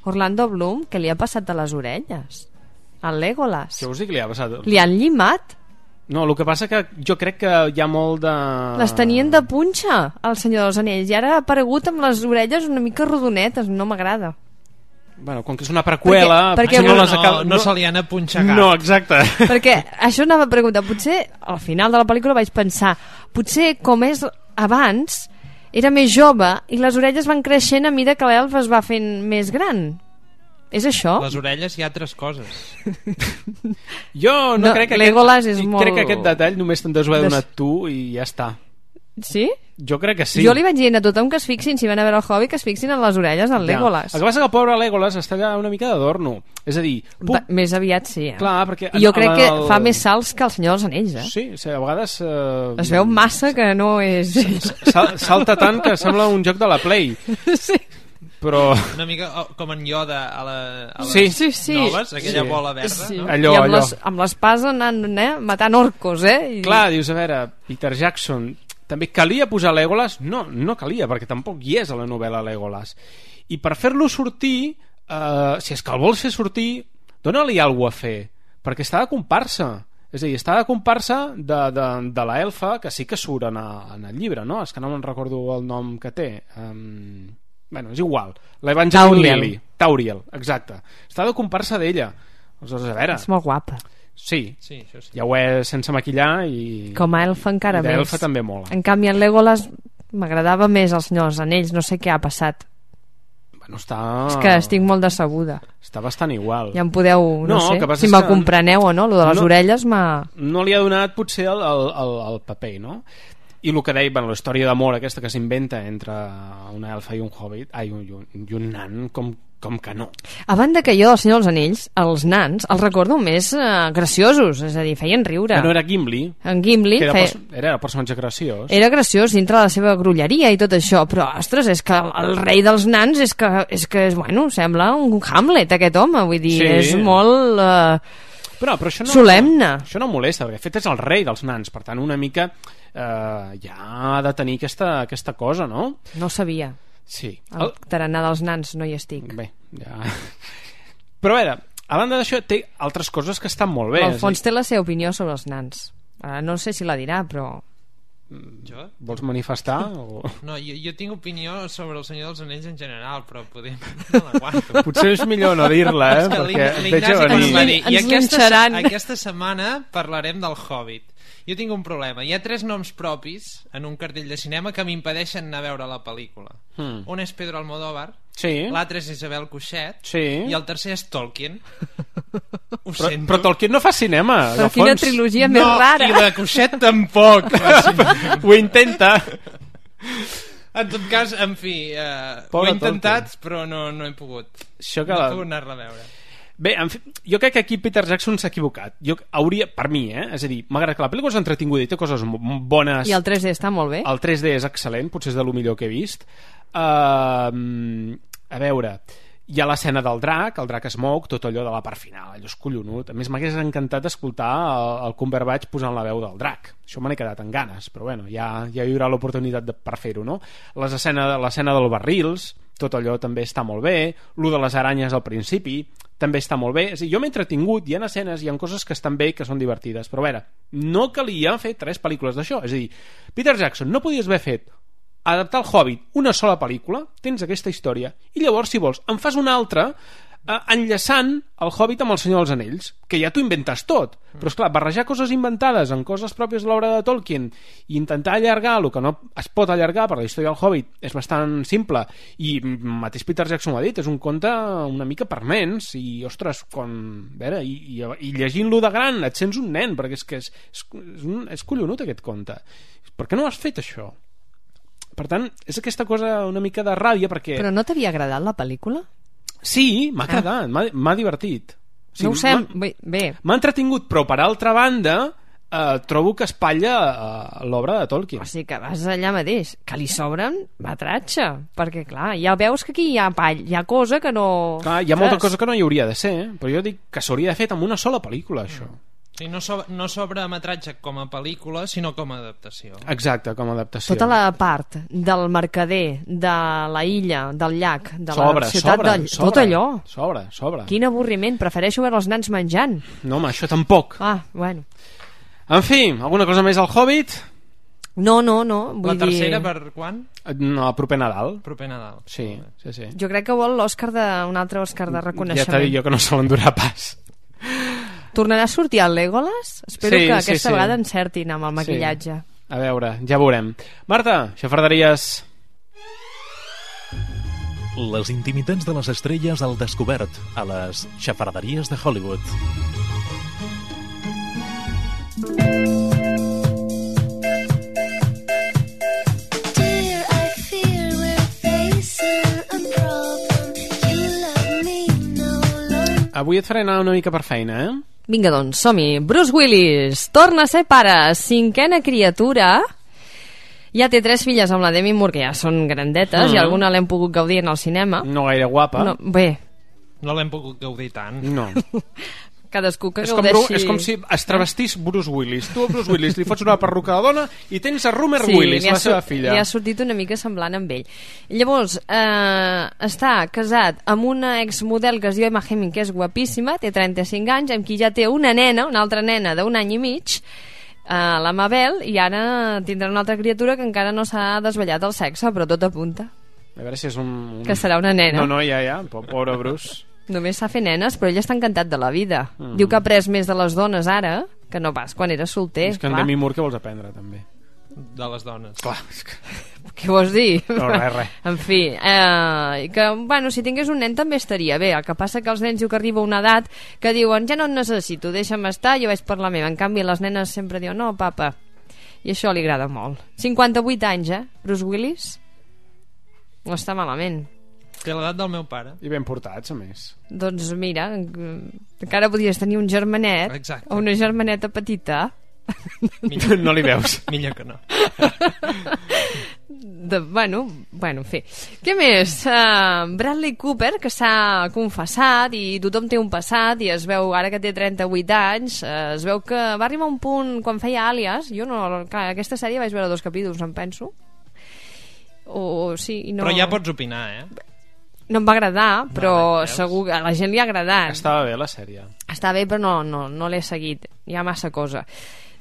Orlando Bloom, què li ha passat a les orelles? Al Legolas. Què vols dir que li ha passat? Li han llimat? No, el que passa que jo crec que hi ha molt de... Les tenien de punxa, el Senyor dels Anells, i ara ha aparegut amb les orelles una mica rodonetes, no m'agrada. Bueno, com que és una preqüela... Perquè, perquè no, no, no, les acaba... no, no se li han apunxegat. No, exacte. Perquè això anava a preguntar, potser al final de la pel·lícula vaig pensar, potser com és abans, era més jove i les orelles van creixent a mida que l'elf es va fent més gran. És això? Les orelles i altres coses. Jo no, no crec que Legolas aquest, és molt... crec que aquest detall només te'n deus haver Des... donat tu i ja està. Sí? Jo crec que sí. Jo li vaig dient a tothom que es fixin, si van a veure el Hobbit, que es fixin en les orelles del ja. Legolas. El que passa que el pobre Legolas està allà una mica d'adorno. És a dir... Puc... Va, més aviat sí, eh? Clar, perquè... I jo crec el... que fa més salts que el Senyor dels Anells, eh? Sí, sí a vegades... Eh... Es veu massa que no és... Sal, salta tant que sembla un joc de la Play. Sí. Però... Una mica oh, com en Yoda a, la, a les sí. Sí, sí. noves, aquella sí. bola verda. Sí. No? Allò, I amb allò. les, amb l'espasa anant eh? matant orcos, eh? I... Clar, dius, a veure, Peter Jackson... També calia posar Legolas? No, no calia, perquè tampoc hi és a la novel·la Legolas. I per fer-lo sortir, eh, si és que el vols fer sortir, dona-li alguna cosa a fer, perquè està de comparsa. És a dir, està de comparsa de, de, de la elfa, que sí que surt en, a, en el llibre, no? És que no me'n recordo el nom que té. Um, bueno, és igual. L'Evangeline Lily. Tauriel, exacte. Està de comparsa d'ella. Aleshores, a veure... És molt guapa. Sí, sí, això sí, ja ho és sense maquillar i... Com a elfa encara I més. d'elfa també mola. En canvi en Legolas m'agradava més el Senyor dels Anells, no sé què ha passat. Bueno, està... És que estic molt decebuda. Està bastant igual. Ja em podeu, no, no sé, si que me compreneu o no, lo de les no, orelles m'ha... No li ha donat potser el, el, el, el paper, no? I el que deia, bueno, la història d'amor aquesta que s'inventa entre una elfa i un hobbit, ai, un, un, i un nan, com, com que no. A banda que jo, el Senyor dels Anells, els nans, els recordo més eh, graciosos, és a dir, feien riure. Que no era Gimli, en Gimli que era, feia... pers era el personatge graciós. Era graciós dintre la seva grulleria i tot això, però, ostres, és que el rei dels nans és que, és que és, bueno, sembla un Hamlet, aquest home, vull dir, sí. és molt... Eh... Però, però això no, solemne. Això no molesta, perquè de fet és el rei dels nans, per tant una mica eh, ja ha de tenir aquesta, aquesta cosa, no? No ho sabia. Sí. El tarannà dels nans no hi estic. Bé, ja... Però a veure, a banda d'això té altres coses que estan molt bé. Alfons té la seva opinió sobre els nans. Ara no sé si la dirà, però... Jo? Vols manifestar? O... No, jo, jo tinc opinió sobre el Senyor dels Anells en general, però podem... no l'aguanto. Potser és millor no dir-la, eh? Perquè veig a venir. I aquesta, aquesta setmana parlarem del Hobbit. Jo tinc un problema. Hi ha tres noms propis en un cartell de cinema que m'impedeixen anar a veure la pel·lícula. Hmm. Un és Pedro Almodóvar, sí. L'altre és Isabel Coixet, sí. I el tercer és Tolkien. Ho però, sento. Però Tolkien no fa cinema. Però quina trilogia més no, rara. I la Coixet tampoc. Ho intenta. En tot cas, en fi, eh, ho he intentat, Tolkien. Però no, no he pogut. Això que no la... he pogut anar-la a veure. Bé, en fi, jo crec que aquí Peter Jackson s'ha equivocat. Jo hauria, per mi, eh? És a dir, m'agrada que la pel·lícula és entretinguda i té coses bones. I el tres D està molt bé. El tres D és excel·lent, potser és de lo millor que he vist. Uh, a veure, hi ha l'escena del drac, el drac Smoke, tot allò de la part final, allò és collonut. A més, m'hagués encantat escoltar el, el Cumberbatch posant la veu del drac. Això me n'he quedat amb ganes, però bueno, ja, ja hi haurà l'oportunitat per fer-ho, no? L'escena del barrils, tot allò també està molt bé, lo de les aranyes al principi també està molt bé, és a dir, jo m'he entretingut, hi ha escenes, hi ha coses que estan bé, que són divertides, però a veure, no calia fer tres pel·lícules d'això, és a dir, Peter Jackson no podies haver fet adaptar el Hobbit una sola pel·lícula, tens aquesta història, i llavors, si vols, en fas una altra eh, enllaçant el Hobbit amb el Senyor dels Anells, que ja t'ho inventes tot, però esclar, barrejar coses inventades en coses pròpies de l'obra de Tolkien i intentar allargar el que no es pot allargar, per la història del Hobbit és bastant simple, i mateix Peter Jackson ho ha dit, és un conte una mica per nens, i ostres, quan, veure, i, i, i llegint-lo de gran et sents un nen, perquè és que és, és, és, un, és collonut aquest conte. Per què no has fet això? Per tant, és aquesta cosa una mica de ràbia, perquè... Però no t'havia agradat la pel·lícula? Sí, m'ha agradat, ah. m'ha divertit. O sigui, no ho sé, bé. M'ha entretingut, però per altra banda eh, trobo que espatlla eh, l'obra de Tolkien. O sigui que vas allà mateix, que li sobren batratge, perquè clar, ja veus que aquí hi ha pall, hi ha cosa que no... Clar, hi ha molta cosa que no hi hauria de ser, eh? Però jo dic que s'hauria de fer amb una sola pel·lícula, això. Sí, no, sobre, no sobre metratge com a pel·lícula, sinó com a adaptació. Exacte, com a adaptació. Tota la part del mercader, de la illa, del llac, de sobre, la ciutat sobre, de... sobre, tot allò. Sobre, sobre. Quin avorriment, prefereixo veure els nans menjant. No, home, això tampoc. Ah, bueno. En fi, alguna cosa més al Hobbit? No, no, no. Vull la tercera dir... per quan? No, proper Nadal. Proper Nadal. Sí, sí, sí. Jo crec que vol l'Òscar de... un altre Òscar de reconeixement. Ja t'ha dit jo que no se l'endurà pas. Tornarà a sortir el Legolas? Espero sí, que aquesta sí, sí. vegada encertin amb el maquillatge. Sí. A veure, ja veurem. Marta, xafarderies... Les intimitats de les estrelles al descobert a les xafarderies de Hollywood. Avui et faré anar una mica per feina, eh? Vinga, doncs, som-hi. Bruce Willis torna a ser pare, cinquena criatura. Ja té tres filles amb la Demi Moore, que ja són grandetes, Mm. i alguna l'hem pogut gaudir en el cinema. No gaire guapa. No, bé, No l'hem pogut gaudir tant. No. cadascú que És com, gaudeixi... és com si es travestís Bruce Willis. Tu a Bruce Willis li fots una perruca de dona i tens a Rumer Sí, Willis, li ha la seva sor- filla. li ha sortit una mica semblant amb ell. Llavors, eh, està casat amb una exmodel que es diu Emma Hemming, que és guapíssima, té trenta-cinc anys, amb qui ja té una nena, una altra nena d'un any i mig, eh, la Mabel, i ara tindrà una altra criatura que encara no s'ha desvetllat el sexe, però tot apunta. A veure si és un... un... Que serà una nena. No, no, ja, ja, po- pobre Bruce. Només s'ha fet nenes, però ell està encantat de la vida. Mm. Diu que ha après més de les dones ara que no pas quan era solter. És que en clar. Demi Moore què vols aprendre, també? De les dones. Clar, és que... Què vols dir? No, res, res. En fi, eh, que, bueno, si tingués un nen també estaria bé. El que passa que els nens diu que arriba una edat que diuen, ja no et necessito, deixa'm estar, jo vaig per la meva. En canvi, les nenes sempre diuen, no, papa. I això li agrada molt. cinquanta-vuit anys, eh, Bruce Willis? No està malament. Té l'edat del meu pare. I ben portats, a més. Doncs mira, encara podries tenir un germanet. Exacte. O una germaneta petita. Millor, no li veus. Millor que no. De, bueno, bueno, en fi. Què més? Uh, Bradley Cooper, que s'ha confessat i tothom té un passat i es veu, ara que té trenta-vuit anys, uh, es veu que va arribar a un punt quan feia Àlies, jo no, clar, aquesta sèrie vaig veure dos capítols, em penso. O, sí, i no... Però ja pots opinar, eh? No em va agradar, però Vale, segur que a la gent li ha agradat. Estava bé la sèrie. Està bé, però no, no, no l'he seguit. Hi ha massa cosa.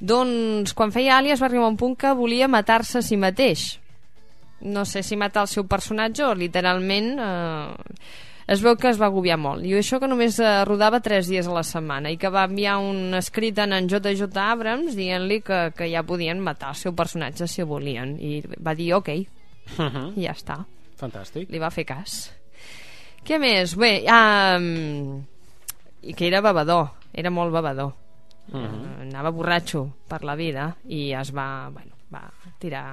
Doncs, quan feia Àlies va arribar a un punt que volia matar-se a si mateix. No sé si matar el seu personatge o literalment... Eh, es veu que es va agobiar molt. I això que només eh, rodava tres dies a la setmana i que va enviar un escrit en en J J Abrams dient-li que, que ja podien matar el seu personatge si volien. I va dir ok. Uh-huh. I ja està. Fantàstic. Li va fer cas. Què més? Bé, um, i que era bevedor, era molt bevedor. Uh-huh. Uh, anava borratxo per la vida i es va, bueno, va tirar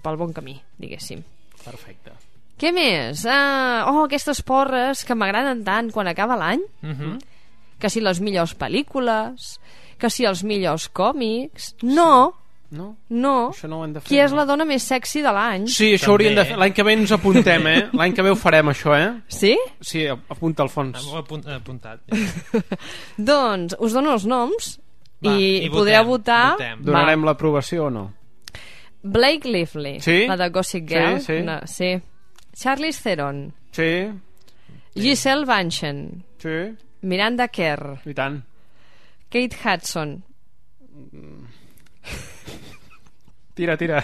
pel bon camí, diguéssim. Perfecte. Què més? Uh, oh, aquestes porres que m'agraden tant quan acaba l'any. Uh-huh. Que si les millors pel·lícules, que si els millors còmics... No! No? No. Això no ho hem de fer. Qui és la dona més sexy de l'any? Sí, això hauríem de fer. L'any que ve ens apuntem, eh? L'any que ve ho farem, això, eh? Sí? Sí, apunta al fons. Ho he apunt, apuntat. Ja. Doncs us dono els noms Va, i, i podreu votem, votar. votem. Donarem l'aprovació o no? Blake Lively, Sí? la de Gossip Girl. Sí, sí. No, sí. Charlize Theron, Sí. Giselle Bündchen. Sí. Miranda Kerr. I tant. Kate Hudson. Tira, tira.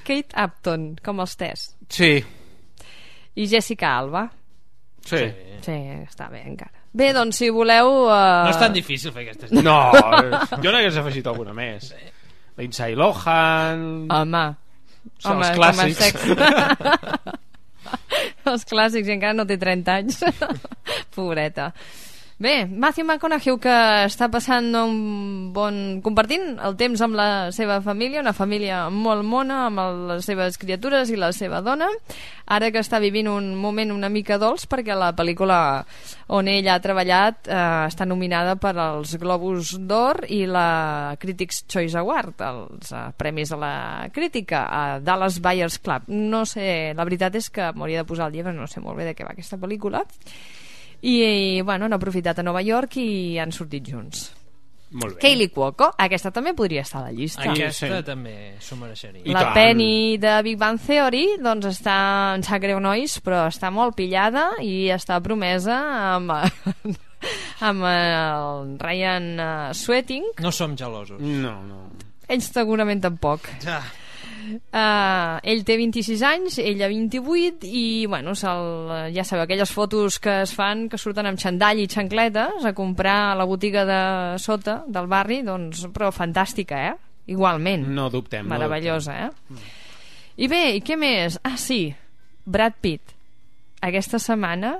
Kate Upton, com els tés. Sí. I Jessica Alba. Sí. Sí, està bé encara. Bé, doncs si voleu... Uh... No és tan difícil fer aquestes... No, jo n'hagués afegit alguna més. Lindsay Lohan... Home, Home els clàssics. Els clàssics, i encara no té trenta anys. Pobreta. Bé, Matthew McConaughey, que està passant un bon... compartint el temps amb la seva família, una família molt mona, amb el, les seves criatures i la seva dona, ara que està vivint un moment una mica dolç, perquè la pel·lícula on ell ha treballat eh, està nominada per als Globus d'Or i la Critics' Choice Award, els eh, premis de la crítica, a Dallas Buyers Club. No sé, la veritat és que m'hauria de posar al dia, però no sé molt bé de què va aquesta pel·lícula. I, i bueno, han aprofitat a Nova York i han sortit junts. Molt bé. Kaylee Cuoco, aquesta també podria estar a la llista. Aquesta sí. també s'ho mereixeria. La Penny de Big Bang Theory, doncs està, en sap greu nois, però està molt pillada i està promesa amb, amb el Ryan Sweeting. No som gelosos. No, no. Ells segurament tampoc. Ja. Uh, ell té vint-i-sis anys, ella vint-i-vuit i bueno, ja sabeu, aquelles fotos que es fan que surten amb xandall i xancletes a comprar a la botiga de sota del barri, doncs, però fantàstica, eh? Igualment. No dubtem. Meravellosa, no dubtem. eh? I bé, i què més? Ah, sí, Brad Pitt aquesta setmana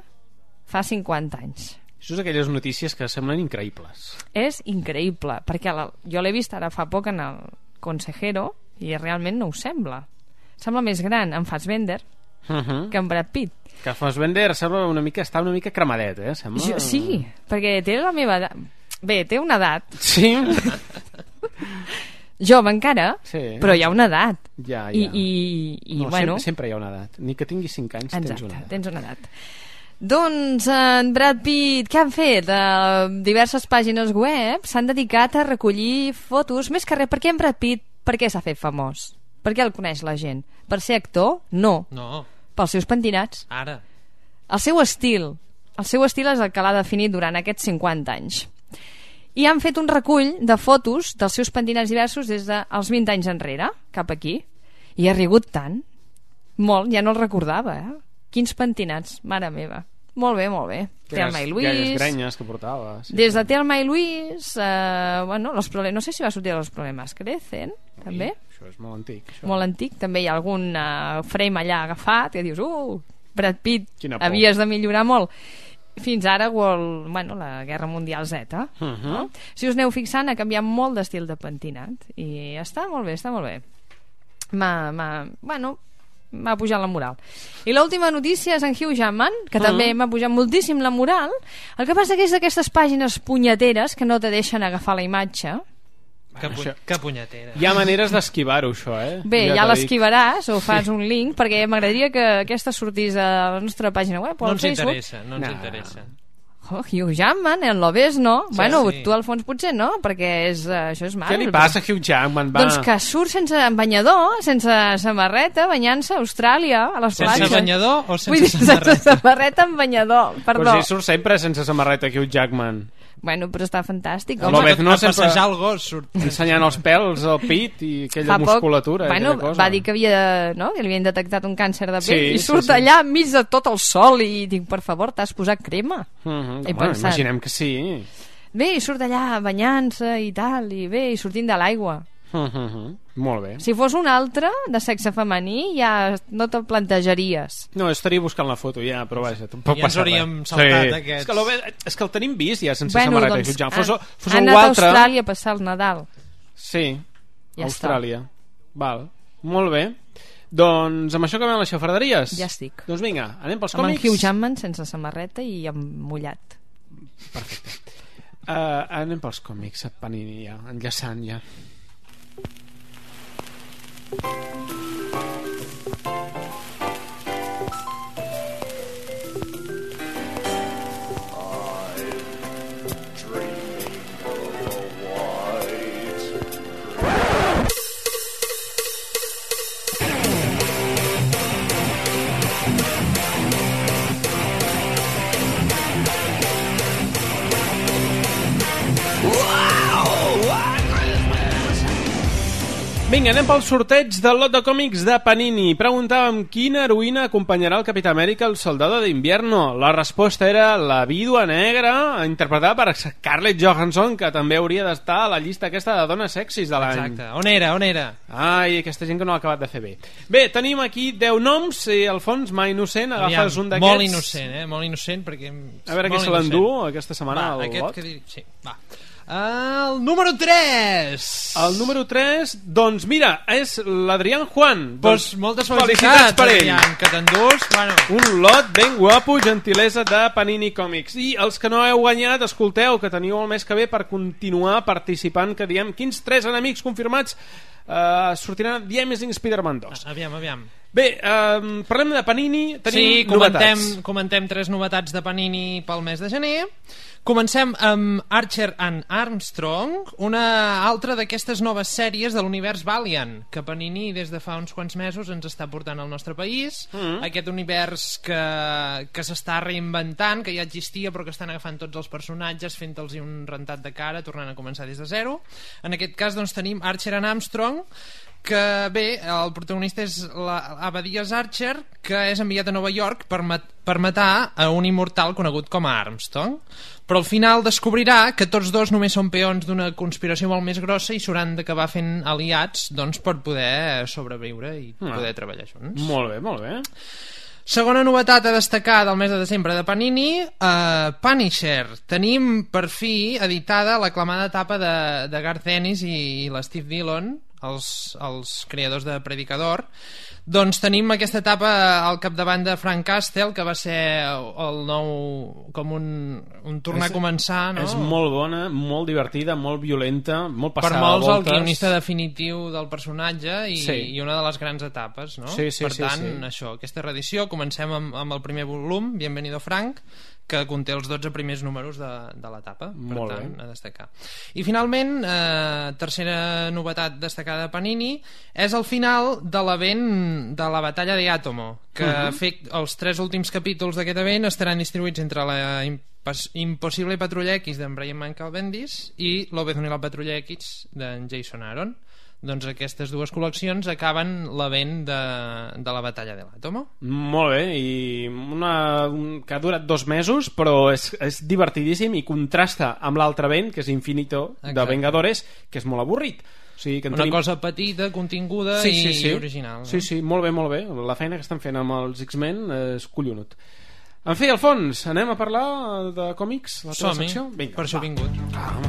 fa cinquanta anys. Això és aquelles notícies que semblen increïbles. És increïble, perquè la, jo l'he vist ara fa poc en el Consejero i realment no ho sembla. Sembla més gran en Fassbender uh -huh. que en Brad Pitt. Que Fassbender sembla una mica, està una mica cremadet, eh? Sembla... Jo, sí, perquè té la meva edat. Bé, té una edat. Sí. Jove encara, sí. Però hi ha una edat. Ja, ja. I, i, i no, bueno... sempre, sempre hi ha una edat. Ni que tinguis cinc anys Exacte, tens una edat. tens una edat. Doncs en Brad Pitt, què han fet? Uh, diverses pàgines web s'han dedicat a recollir fotos, més que res, per què en Brad Pitt, per què s'ha fet famós? Per què el coneix la gent? Per ser actor? No. No. Pels seus pentinats. Ara. El seu estil. El seu estil és el que l'ha definit durant aquests cinquanta anys. I han fet un recull de fotos dels seus pentinats diversos des dels vint anys enrere, cap aquí. I ha rigut tant. Molt, ja no el recordava, eh? Quins pentinats, mare meva. Molt bé, molt bé. Thelma i Louise. Aquelles grenyes que portava. Sí, des de sí. Thelma i Louise, eh, bueno, los problemes, no sé si va sortir Los problemes crecen, també. Ui, això és molt antic. Això. Molt antic, també hi ha algun uh, frame allà agafat que dius, uh, Brad Pitt, Quina por. havies de millorar molt. Fins ara, World, bueno, la Guerra Mundial Z. Uh -huh. No? Si us aneu fixant, ha canviat molt d'estil de pentinat. I està molt bé, està molt bé. M'ha, m'ha, bueno... m'ha pujat la moral. I l'última notícia és en Hugh Jackman, que uh-huh. també m'ha pujat moltíssim la moral. El que passa que és d'aquestes pàgines punyeteres que no te deixen agafar la imatge. Que, pu això... que punyetera. Hi ha maneres d'esquivar-ho, això, eh? Bé, ja, ja l'esquivaràs o fas sí. un link, perquè m'agradaria que aquesta sortís a la nostra pàgina web o no al ens Facebook. Interessa, no ens nah. interessa. Oh, Hugh Jackman, en lo ves, no? Sí, bueno, sí. tu al fons potser no, perquè és, uh, això és mal. Què li passa a Hugh Jackman? Va? Doncs que surt sense banyador, sense samarreta, banyant-se a Austràlia, a les platges. Sense banyador o sense Vull dir, samarreta? Sense samarreta amb banyador, perdó. Però si surt sempre sense samarreta Hugh Jackman. Bueno, però està fantàstic. A l'Obez no sempre passejar el gos surt ensenyant els pèls al pit i aquella Fa poc, musculatura. Bueno, cosa. va dir que havia, no? que li havien detectat un càncer de pell sí, i surt sí, sí. allà enmig de tot el sol i dic, per favor, t'has posat crema? Uh -huh. He bueno, pensat. imaginem que sí. Bé, i surt allà banyant-se i tal, i bé, i sortint de l'aigua. Uh -huh. Molt bé. Si fos un altre de sexe femení ja no te'l plantejaries. No, estaria buscant la foto ja, però vaja, tampoc ja passa res. Ja ens hauríem saltat sí. aquests. És que, lo, és que el tenim vist ja sense bueno, samarreta. Doncs, ja. Fos, ha, fos ha algú anat a altre... Austràlia a passar el Nadal. Sí, ja Austràlia. Està. Val, molt bé. Doncs amb això acabem les xafarderies. Ja estic. Doncs vinga, anem pels amb còmics. Amb en Hugh Jackman sense samarreta i amb mullat. Perfecte. Uh, anem pels còmics, Panini ja, enllaçant ja. Vinga, anem pel sorteig del lot de còmics de Panini. Preguntàvem quina heroïna acompanyarà el Capità Amèrica al Soldado de Invierno. La resposta era la Vídua Negra, interpretada per Scarlett Johansson, que també hauria d'estar a la llista aquesta de dones sexis de l'any. Exacte. On era, on era? Ai, aquesta gent que no ha acabat de fer bé. Bé, tenim aquí deu noms i Alfons, mà innocent, agafes Aviam, un d'aquests. Molt innocent, eh? Molt innocent, perquè... A veure què se l'endú aquesta setmana va, al aquest lot. que dir... Sí, va. El número tres. El número tres, doncs mira, és l'Adrián Juan. Pues doncs moltes felicitats, per ell. Adrián, que t'endús. Bueno. Un lot ben guapo, gentilesa de Panini Comics. I els que no heu guanyat, escolteu, que teniu el mes que ve per continuar participant, que diem quins tres enemics confirmats uh, sortiran The Amazing Spider-Man dos. Aviam, aviam. Bé, um, parlem de Panini, tenim sí, comentem, novetats. comentem tres novetats de Panini pel mes de gener. Comencem amb Archer and Armstrong, una altra d'aquestes noves sèries de l'univers Valiant, que Panini des de fa uns quants mesos ens està portant al nostre país. Mm. Aquest univers que, que s'està reinventant, que ja existia però que estan agafant tots els personatges, fent-los un rentat de cara, tornant a començar des de zero. En aquest cas doncs tenim Archer and Armstrong, que bé, el protagonista és l'Abadias Archer, que és enviat a Nova York per, mat per matar a un immortal conegut com a Armstrong, però al final descobrirà que tots dos només són peons d'una conspiració molt més grossa i s'hauran d'acabar fent aliats doncs, per poder sobreviure i ah. poder treballar junts. Molt bé, molt bé. Segona novetat a destacar del mes de desembre de Panini, uh, Punisher. Tenim per fi editada l'aclamada etapa de, de Garth Ennis i, i l'Steve Dillon, els, els creadors de Predicador. Doncs tenim aquesta etapa al capdavant de Frank Castle, que va ser el nou, com un, un tornar és, a començar, no? És molt bona, molt divertida, molt violenta, molt passada per molts voltes. El guionista definitiu del personatge i, sí. i una de les grans etapes, no? Sí, sí, per sí, tant, sí. això, aquesta reedició, comencem amb, amb el primer volum, Bienvenido Frank, que conté els dotze primers números de, de l'etapa, per molt tant, bé. A destacar. I finalment, eh, tercera novetat destacada de Panini, és el final de l'event de la batalla de Atomo, que uh -huh. fet, els tres últims capítols d'aquest event estaran distribuïts entre la Impossible Patrulla X d'en Brian Michael Bendis i l'Obezón i la Patrulla X d'en Jason Aaron. Doncs aquestes dues col·leccions acaben l'event de, de la batalla de l'Àtomo. Molt bé, i una, un, que ha durat dos mesos, però és, és divertidíssim i contrasta amb l'altre event, que és Infinito, exacte, de Vengadores, que és molt avorrit. O sigui, que una tenim... cosa petita, continguda sí, i, sí, sí. i original. No? Sí, sí, molt bé, molt bé. La feina que estan fent amb els X-Men és collonut. En fi, Alfons, anem a parlar de còmics? La teva secció? Vinga, per això he vingut. Ah,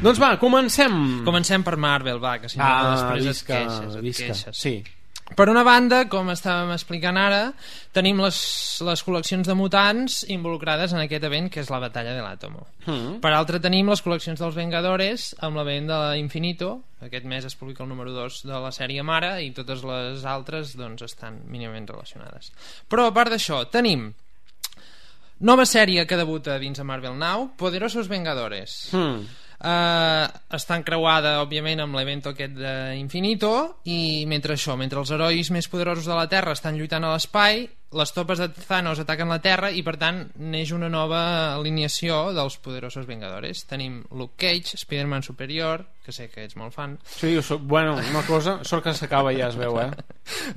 doncs va, comencem. Comencem per Marvel, va, que si no ah, després visca, et queixes, et visca. queixes. Sí. Per una banda, com estàvem explicant ara, tenim les, les col·leccions de mutants involucrades en aquest event, que és la batalla de l'Àtomo. Mm. Per altra, tenim les col·leccions dels Vengadores amb l'event de l'Infinito. Aquest mes es publica el número dos de la sèrie mare i totes les altres doncs, estan mínimament relacionades. Però a part d'això, tenim nova sèrie que debuta dins de Marvel Now, Poderosos Vengadores. Mm. Uh, està encreuada òbviament amb l'event aquest d'Infinito, i mentre això, mentre els herois més poderosos de la Terra estan lluitant a l'espai, les topes de Thanos ataquen la Terra i per tant neix una nova alineació dels Poderosos Vengadores. Tenim Luke Cage, Spider-Man Superior, que sé que ets molt fan. Sí, jo soc, bueno, una cosa, sort que s'acaba ja, es veu, eh?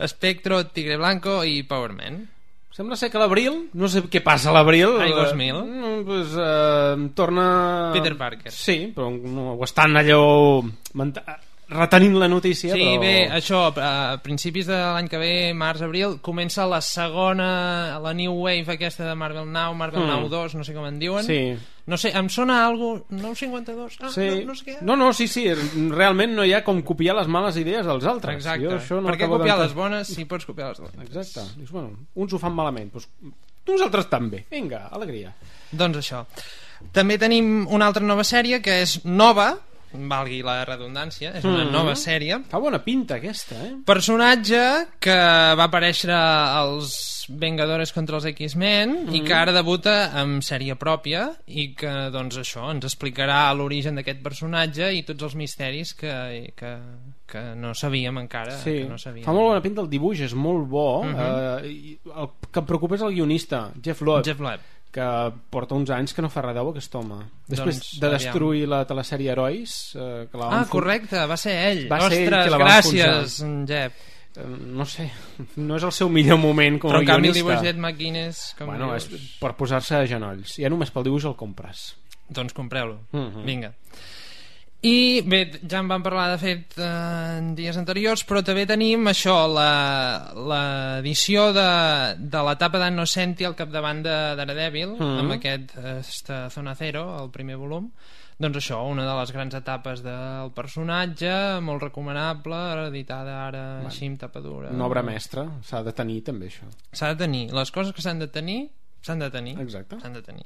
Spectro, Tigre Blanco i Power Man. Sembla ser que l'abril, no sé què passa a l'abril, Ai, dos mil eh, pues, eh, torna Peter Parker. Sí, però no, ho estan allò retenint la notícia. Sí, però... bé, això a principis de l'any que ve, març-abril, comença la segona, la New Wave aquesta de Marvel Now, Marvel mm. Now dos, no sé com en diuen. Sí. No sé, em sona algo nou cinquanta-dos? Ah, sí. no, no sé què. No, no, sí, sí, realment no hi ha com copiar les males idees dels altres. Exacte, jo això no per què copiar les bones si pots copiar les dolentes? Exacte, dius, bueno, uns ho fan malament, doncs nosaltres també, vinga, alegria. Doncs això. També tenim una altra nova sèrie que és nova, valgui la redundància, és una mm. nova sèrie. Fa bona pinta aquesta, eh? Personatge que va aparèixer als Vengadores contra els X-Men mm-hmm. i que ara debuta amb sèrie pròpia i que, doncs, això, ens explicarà l'origen d'aquest personatge i tots els misteris que, que, que no sabíem encara. Sí, que no sabíem. Fa molt bona pinta el dibuix, és molt bo. Mm-hmm. eh, el que em preocupa és el guionista, Jeff Loeb. Jeff Loeb. Que porta uns anys que no fa res deu aquest home. Després doncs, de destruir aviam. la telesèrie Herois, eh, que la ah, correcte, va ser ell. Va Ostres, ser ell que la gràcies, Jeff. Eh, no sé, no és el seu millor moment com a guionista. Però en canvi el dibuix d'Ed McGuinness, com bueno, dius... és per posar-se a genolls. Ja només pel dibuix el compres. Doncs compreu-lo. Mm-hmm. Vinga. I bé, ja en vam parlar de fet eh, en dies anteriors, però també tenim això, l'edició de, de l'etapa d'Innocenti al capdavant de Daredevil, mm-hmm. amb aquest esta Zona Zero, el primer volum. Doncs això, una de les grans etapes del personatge, molt recomanable, editada ara bueno, així amb tapa dura. Una obra mestra, s'ha de tenir també això. S'ha de tenir, les coses que s'han de tenir s'han de tenir. Exacte. S'han de tenir.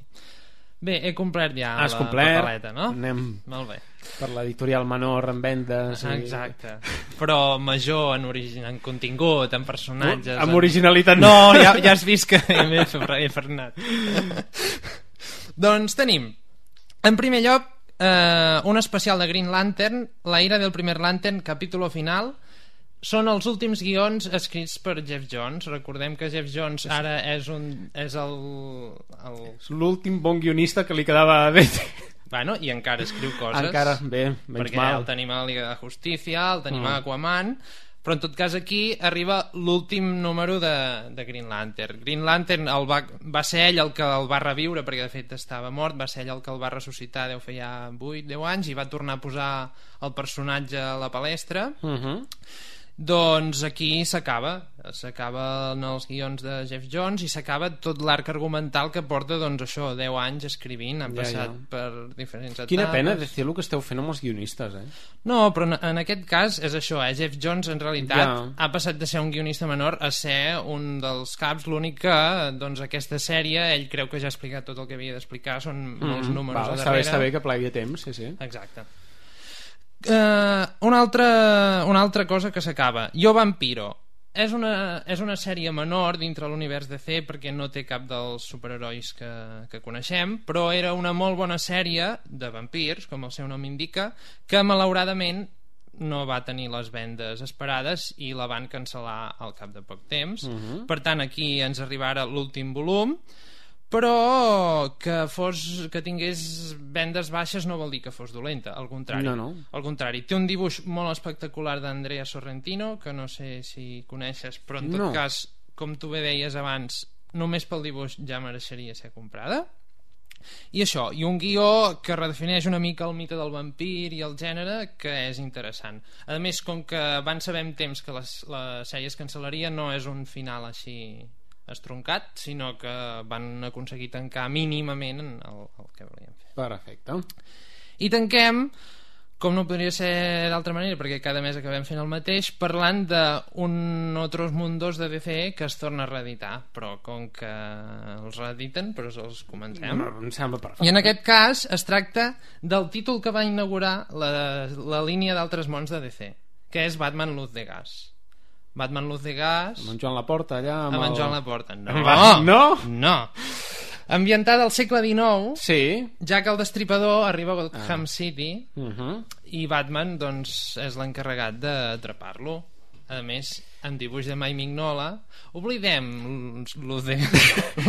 Bé, he complert ja Has la complert, papeleta, no? Anem molt bé. Per l'editorial menor en vendes i... Exacte, però major en, origin... en contingut, en personatges... Amb en... originalitat no, ja, ja has vist que m'he frenat. Doncs tenim, en primer lloc, eh, un especial de Green Lantern, La ira del primer Lantern, capítol final. Són els últims guions escrits per Jeff Jones. Recordem que Jeff Jones ara és un és el, el... és l'últim bon guionista que li quedava a D C. Bueno, i encara escriu coses. Encara, bé, menys perquè mal. el tenim a la Liga de Justícia, el tenim mm. a Aquaman, però en tot cas aquí arriba l'últim número de, de Green Lantern. Green Lantern el va, va ser ell el que el va reviure, perquè de fet estava mort, va ser ell el que el va ressuscitar, deu fer ja vuit deu anys, i va tornar a posar el personatge a la palestra. Mhm. Doncs aquí s'acaba s'acaba en els guions de Jeff Jones i s'acaba tot l'arc argumental que porta, doncs això, deu anys escrivint. Han ja, passat ja. per diferents etapes. Quina pena de fer el que esteu fent amb els guionistes, eh? No, però en, en aquest cas és això, eh? Jeff Jones en realitat ja. ha passat de ser un guionista menor a ser un dels caps. L'únic que, doncs, aquesta sèrie ell creu que ja ha explicat tot el que havia d'explicar, són mm, molts números val, a darrere. està bé que plegui a temps, sí, sí. Exacte. Uh, una, altra, una altra cosa que s'acaba, Yo Vampiro és una, és una sèrie menor dintre l'univers D C perquè no té cap dels superherois que, que coneixem, però era una molt bona sèrie de vampirs, com el seu nom indica, que malauradament no va tenir les vendes esperades i la van cancel·lar al cap de poc temps. Uh-huh. Per tant, aquí ens arriba ara l'últim volum, però que fos que tingués vendes baixes no vol dir que fos dolenta, al contrari. No, no. Al contrari, té un dibuix molt espectacular d'Andrea Sorrentino, que no sé si coneixes, però en tot no. cas, com tu bé deies abans, només pel dibuix ja mereixeria ser comprada. I això, i un guió que redefineix una mica el mite del vampir i el gènere, que és interessant. A més, com que van saber en temps que les, la sèrie es cancel·laria, no és un final així estroncat, sinó que van aconseguir tancar mínimament el, el que volien fer. Perfecte. I tanquem, com no podria ser d'altra manera, perquè cada mes acabem fent el mateix, parlant d'un Otros Mundos de D C que es torna a reeditar, però com que els reediten, però els comencem. No, em sembla perfecte. I en aquest cas es tracta del títol que va inaugurar la, la línia d'Altres Mons de D C, que és Batman Luz de Gas. Batman Luz de Gas... Amb en Joan Laporta, allà... Amb, amb el... en Joan Laporta. No! No? No! Ambientada al segle dinou, sí. ja que el Destripador arriba a Gotham ah. City uh-huh. i Batman, doncs, és l'encarregat d'atrapar-lo. A més, en dibuix de Mike Mignola. Oblidem Luz de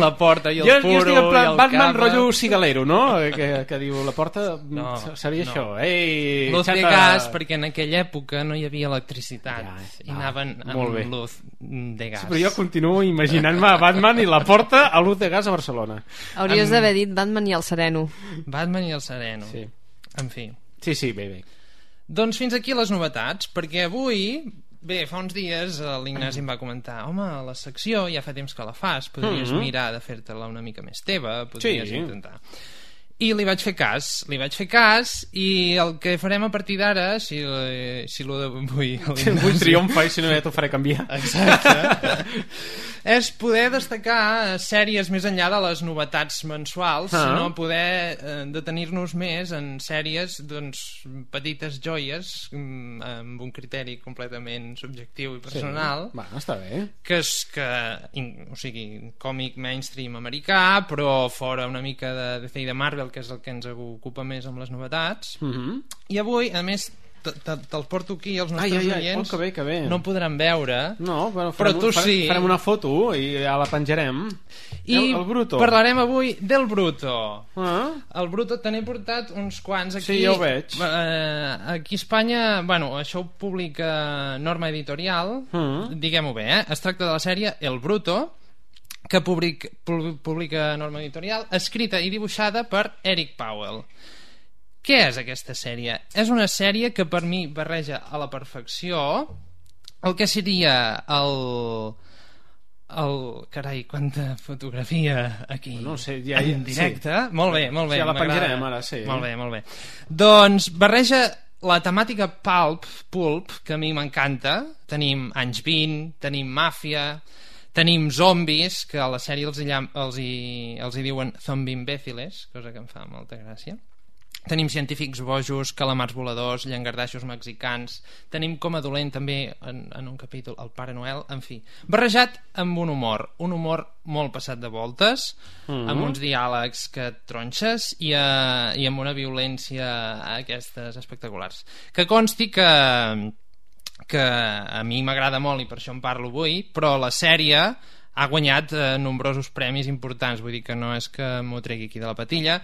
la porta i el jo, puro jo estic en plan i el Batman capa. Rotllo cigalero, no? Que, que diu la porta no, seria no. això. Ei, Luz xata... de gas, perquè en aquella època no hi havia electricitat ja, i ah, anaven amb luz de gas. Sí, però jo continuo imaginant-me Batman i la porta a Luz de Gas a Barcelona. Hauries amb... d'haver dit Batman i el Sereno. Batman i el Sereno. Sí. En fi. Sí, sí, bé, bé. Doncs fins aquí les novetats, perquè avui... Bé, fa uns dies l'Ignasi em va comentar: home, la secció ja fa temps que la fas, podries mm-hmm. mirar de fer-te-la una mica més teva, podries sí. intentar. I li vaig fer cas, li vaig fer cas, i el que farem a partir d'ara, si, si lo vull... Vull triomfa i si no ja t'ho faré canviar. Exacte. És poder destacar sèries més enllà de les novetats mensuals, ah. sinó poder eh, detenir-nos més en sèries, doncs, petites joies, amb un criteri completament subjectiu i personal. Sí. Va, està bé. Que és que, o sigui, còmic mainstream americà, però fora una mica de D C i de Marvel, que és el que ens ocupa més amb les novetats. Uh-huh. I avui, a més, te'l porto aquí, els nostres ai, ai, ai, oients oh, que bé, que bé. no podran veure, no, però, però tu farem, sí. Farem una foto i ja la penjarem. I el, el Bruto. Parlarem avui del Bruto. Ah. El Bruto te n'he portat uns quants aquí. Sí, ja ho veig. Eh, aquí a Espanya, bueno, això ho publica Norma Editorial, uh-huh. diguem-ho bé, eh? Es tracta de la sèrie El Bruto, que public, publica Norma Editorial, escrita i dibuixada per Eric Powell. Què és aquesta sèrie? És una sèrie que per mi barreja a la perfecció el que seria el... el... Carai, quanta fotografia aquí no sé, ja, en directe. Sí. Molt bé, molt bé. Sí, ja la penjarem ara, sí. Molt bé, molt bé. Doncs barreja la temàtica pulp, pulp, que a mi m'encanta. Tenim anys vint, tenim màfia, tenim zombis, que a la sèrie els hi, els hi, els hi diuen zombie imbéciles, cosa que em fa molta gràcia. Tenim científics bojos, calamars voladors, llangardaixos mexicans, tenim com a dolent també en, en un capítol el Pare Noel, en fi, barrejat amb un humor, un humor molt passat de voltes, mm-hmm. amb uns diàlegs que et tronxes i, uh, i amb una violència aquestes espectaculars. Que consti que que a mi m'agrada molt i per això en parlo avui, però la sèrie ha guanyat eh, nombrosos premis importants, vull dir que no és que m'ho tregui aquí de la patilla.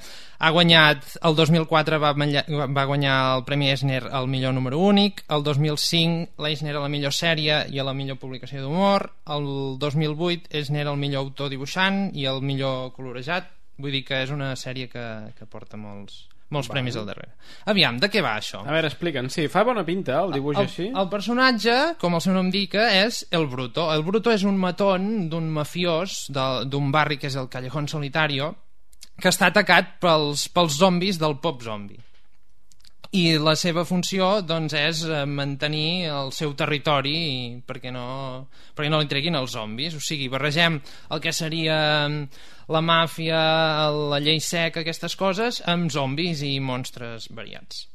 Ha guanyat, el dos mil quatre va, va guanyar el Premi Eisner al millor número únic, el dos mil cinc l'Eisner a la millor sèrie i a la millor publicació d'humor, el dos mil vuit Eisner al millor autor dibuixant i el millor colorejat, vull dir que és una sèrie que, que porta molts... molts vale. Premis al darrere. Aviam, de què va això? A veure, explica'ns. Sí, fa bona pinta el dibuix el, així. El personatge, com el seu nom indica, és el Bruto. El Bruto és un matón d'un mafiós d'un barri que és el Callejón Solitario, que està atacat pels, pels zombis del pop zombi. I la seva funció doncs, és mantenir el seu territori perquè no, perquè no li treguin els zombis. O sigui, barregem el que seria la màfia, la llei seca, aquestes coses, amb zombis i monstres variats.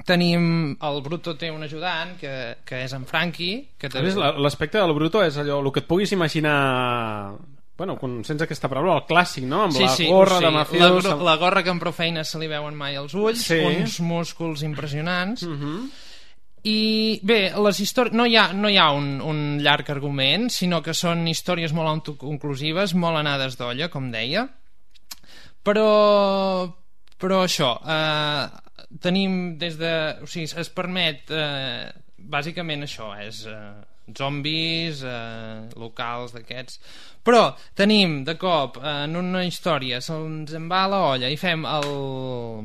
Tenim... El Bruto té un ajudant, que, que és en Frankie. Que també... L'aspecte del Bruto és allò, el que et puguis imaginar... Bueno, sense aquesta paraula, el clàssic, no? Amb sí, la sí, gorra sí. de mafiós... La, la gorra que amb prou feina se li veuen mai als ulls, sí. uns músculs impressionants... Uh-huh. I bé, les històries no hi ha, no hi ha un, un llarg argument, sinó que són històries molt autoconclusives, molt anades d'olla, com deia. Però, però això, eh, tenim des de... O sigui, es permet... Eh, bàsicament això, és... Eh, zombis, eh, locals d'aquests, però tenim de cop eh, en una història se'ns en va a la olla i fem el,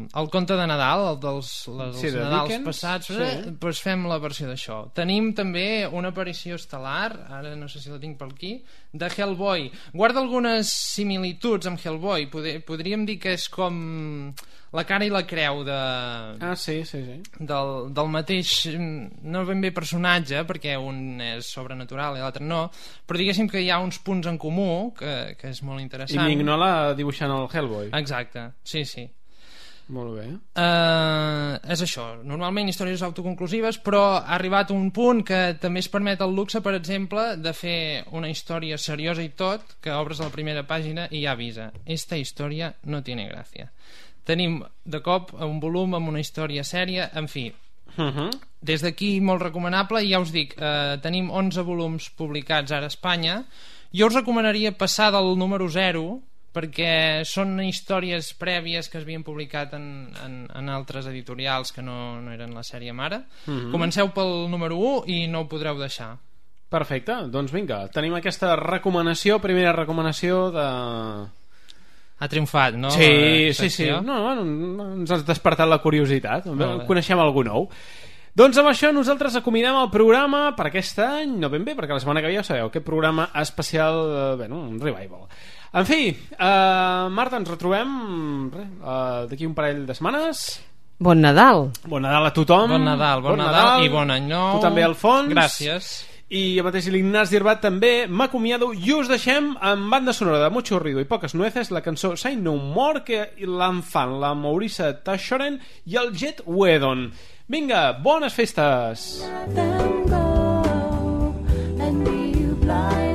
el conte de Nadal, el dels les, sí, els Nadals Dickens, passats, sí. eh, doncs fem la versió d'això. Tenim també una aparició estel·lar, ara no sé si la tinc per aquí, de Hellboy. Guarda algunes similituds amb Hellboy, Poder, podríem dir que és com la cara i la creu de... Ah, sí, sí, sí. Del, del mateix, no ben bé personatge, perquè un és sobrenatural i l'altre no, però diguéssim que hi ha uns punts en comú, que, que és molt interessant. I Mignola dibuixant el Hellboy. Exacte, sí, sí. Molt bé. Uh, és això, normalment històries autoconclusives, però ha arribat un punt que també es permet el luxe, per exemple, de fer una història seriosa i tot, que obres a la primera pàgina i ja avisa, esta història no tiene gràcia. Tenim de cop un volum amb una història sèria, en fi, uh-huh. des d'aquí molt recomanable. I ja us dic, eh, tenim onze volums publicats ara a Espanya. Jo us recomanaria passar del número zero, perquè són històries prèvies que es havien publicat en, en, en altres editorials que no, no eren la sèrie mare. Uh-huh. Comenceu pel número u i no ho podreu deixar. Perfecte, doncs vinga, tenim aquesta recomanació, primera recomanació de... Ha triomfat, no? Sí, sí, sí. No, no, ens has despertat la curiositat. Coneixem algú nou. Doncs amb això nosaltres acomiadem el programa per aquest any, no ben bé, perquè la setmana que ve ja ho sabeu, aquest programa especial, eh, bueno, un revival. En fi, uh, Marta, ens retrobem uh, d'aquí un parell de setmanes. Bon Nadal. Bon Nadal a tothom. Bon Nadal, bon, bon Nadal, Nadal i bon any nou. Tu també, Alfons. Gràcies. I el mateix l'Ignasi Irbat també. M'acomiado i us deixem amb banda sonora de Mucho Ruido i Poques Nueces, la cançó Say No More, que l'en fan la Maurissa Tashoren i el Jet Wedon. Vinga, bones festes. Let them go and be blind.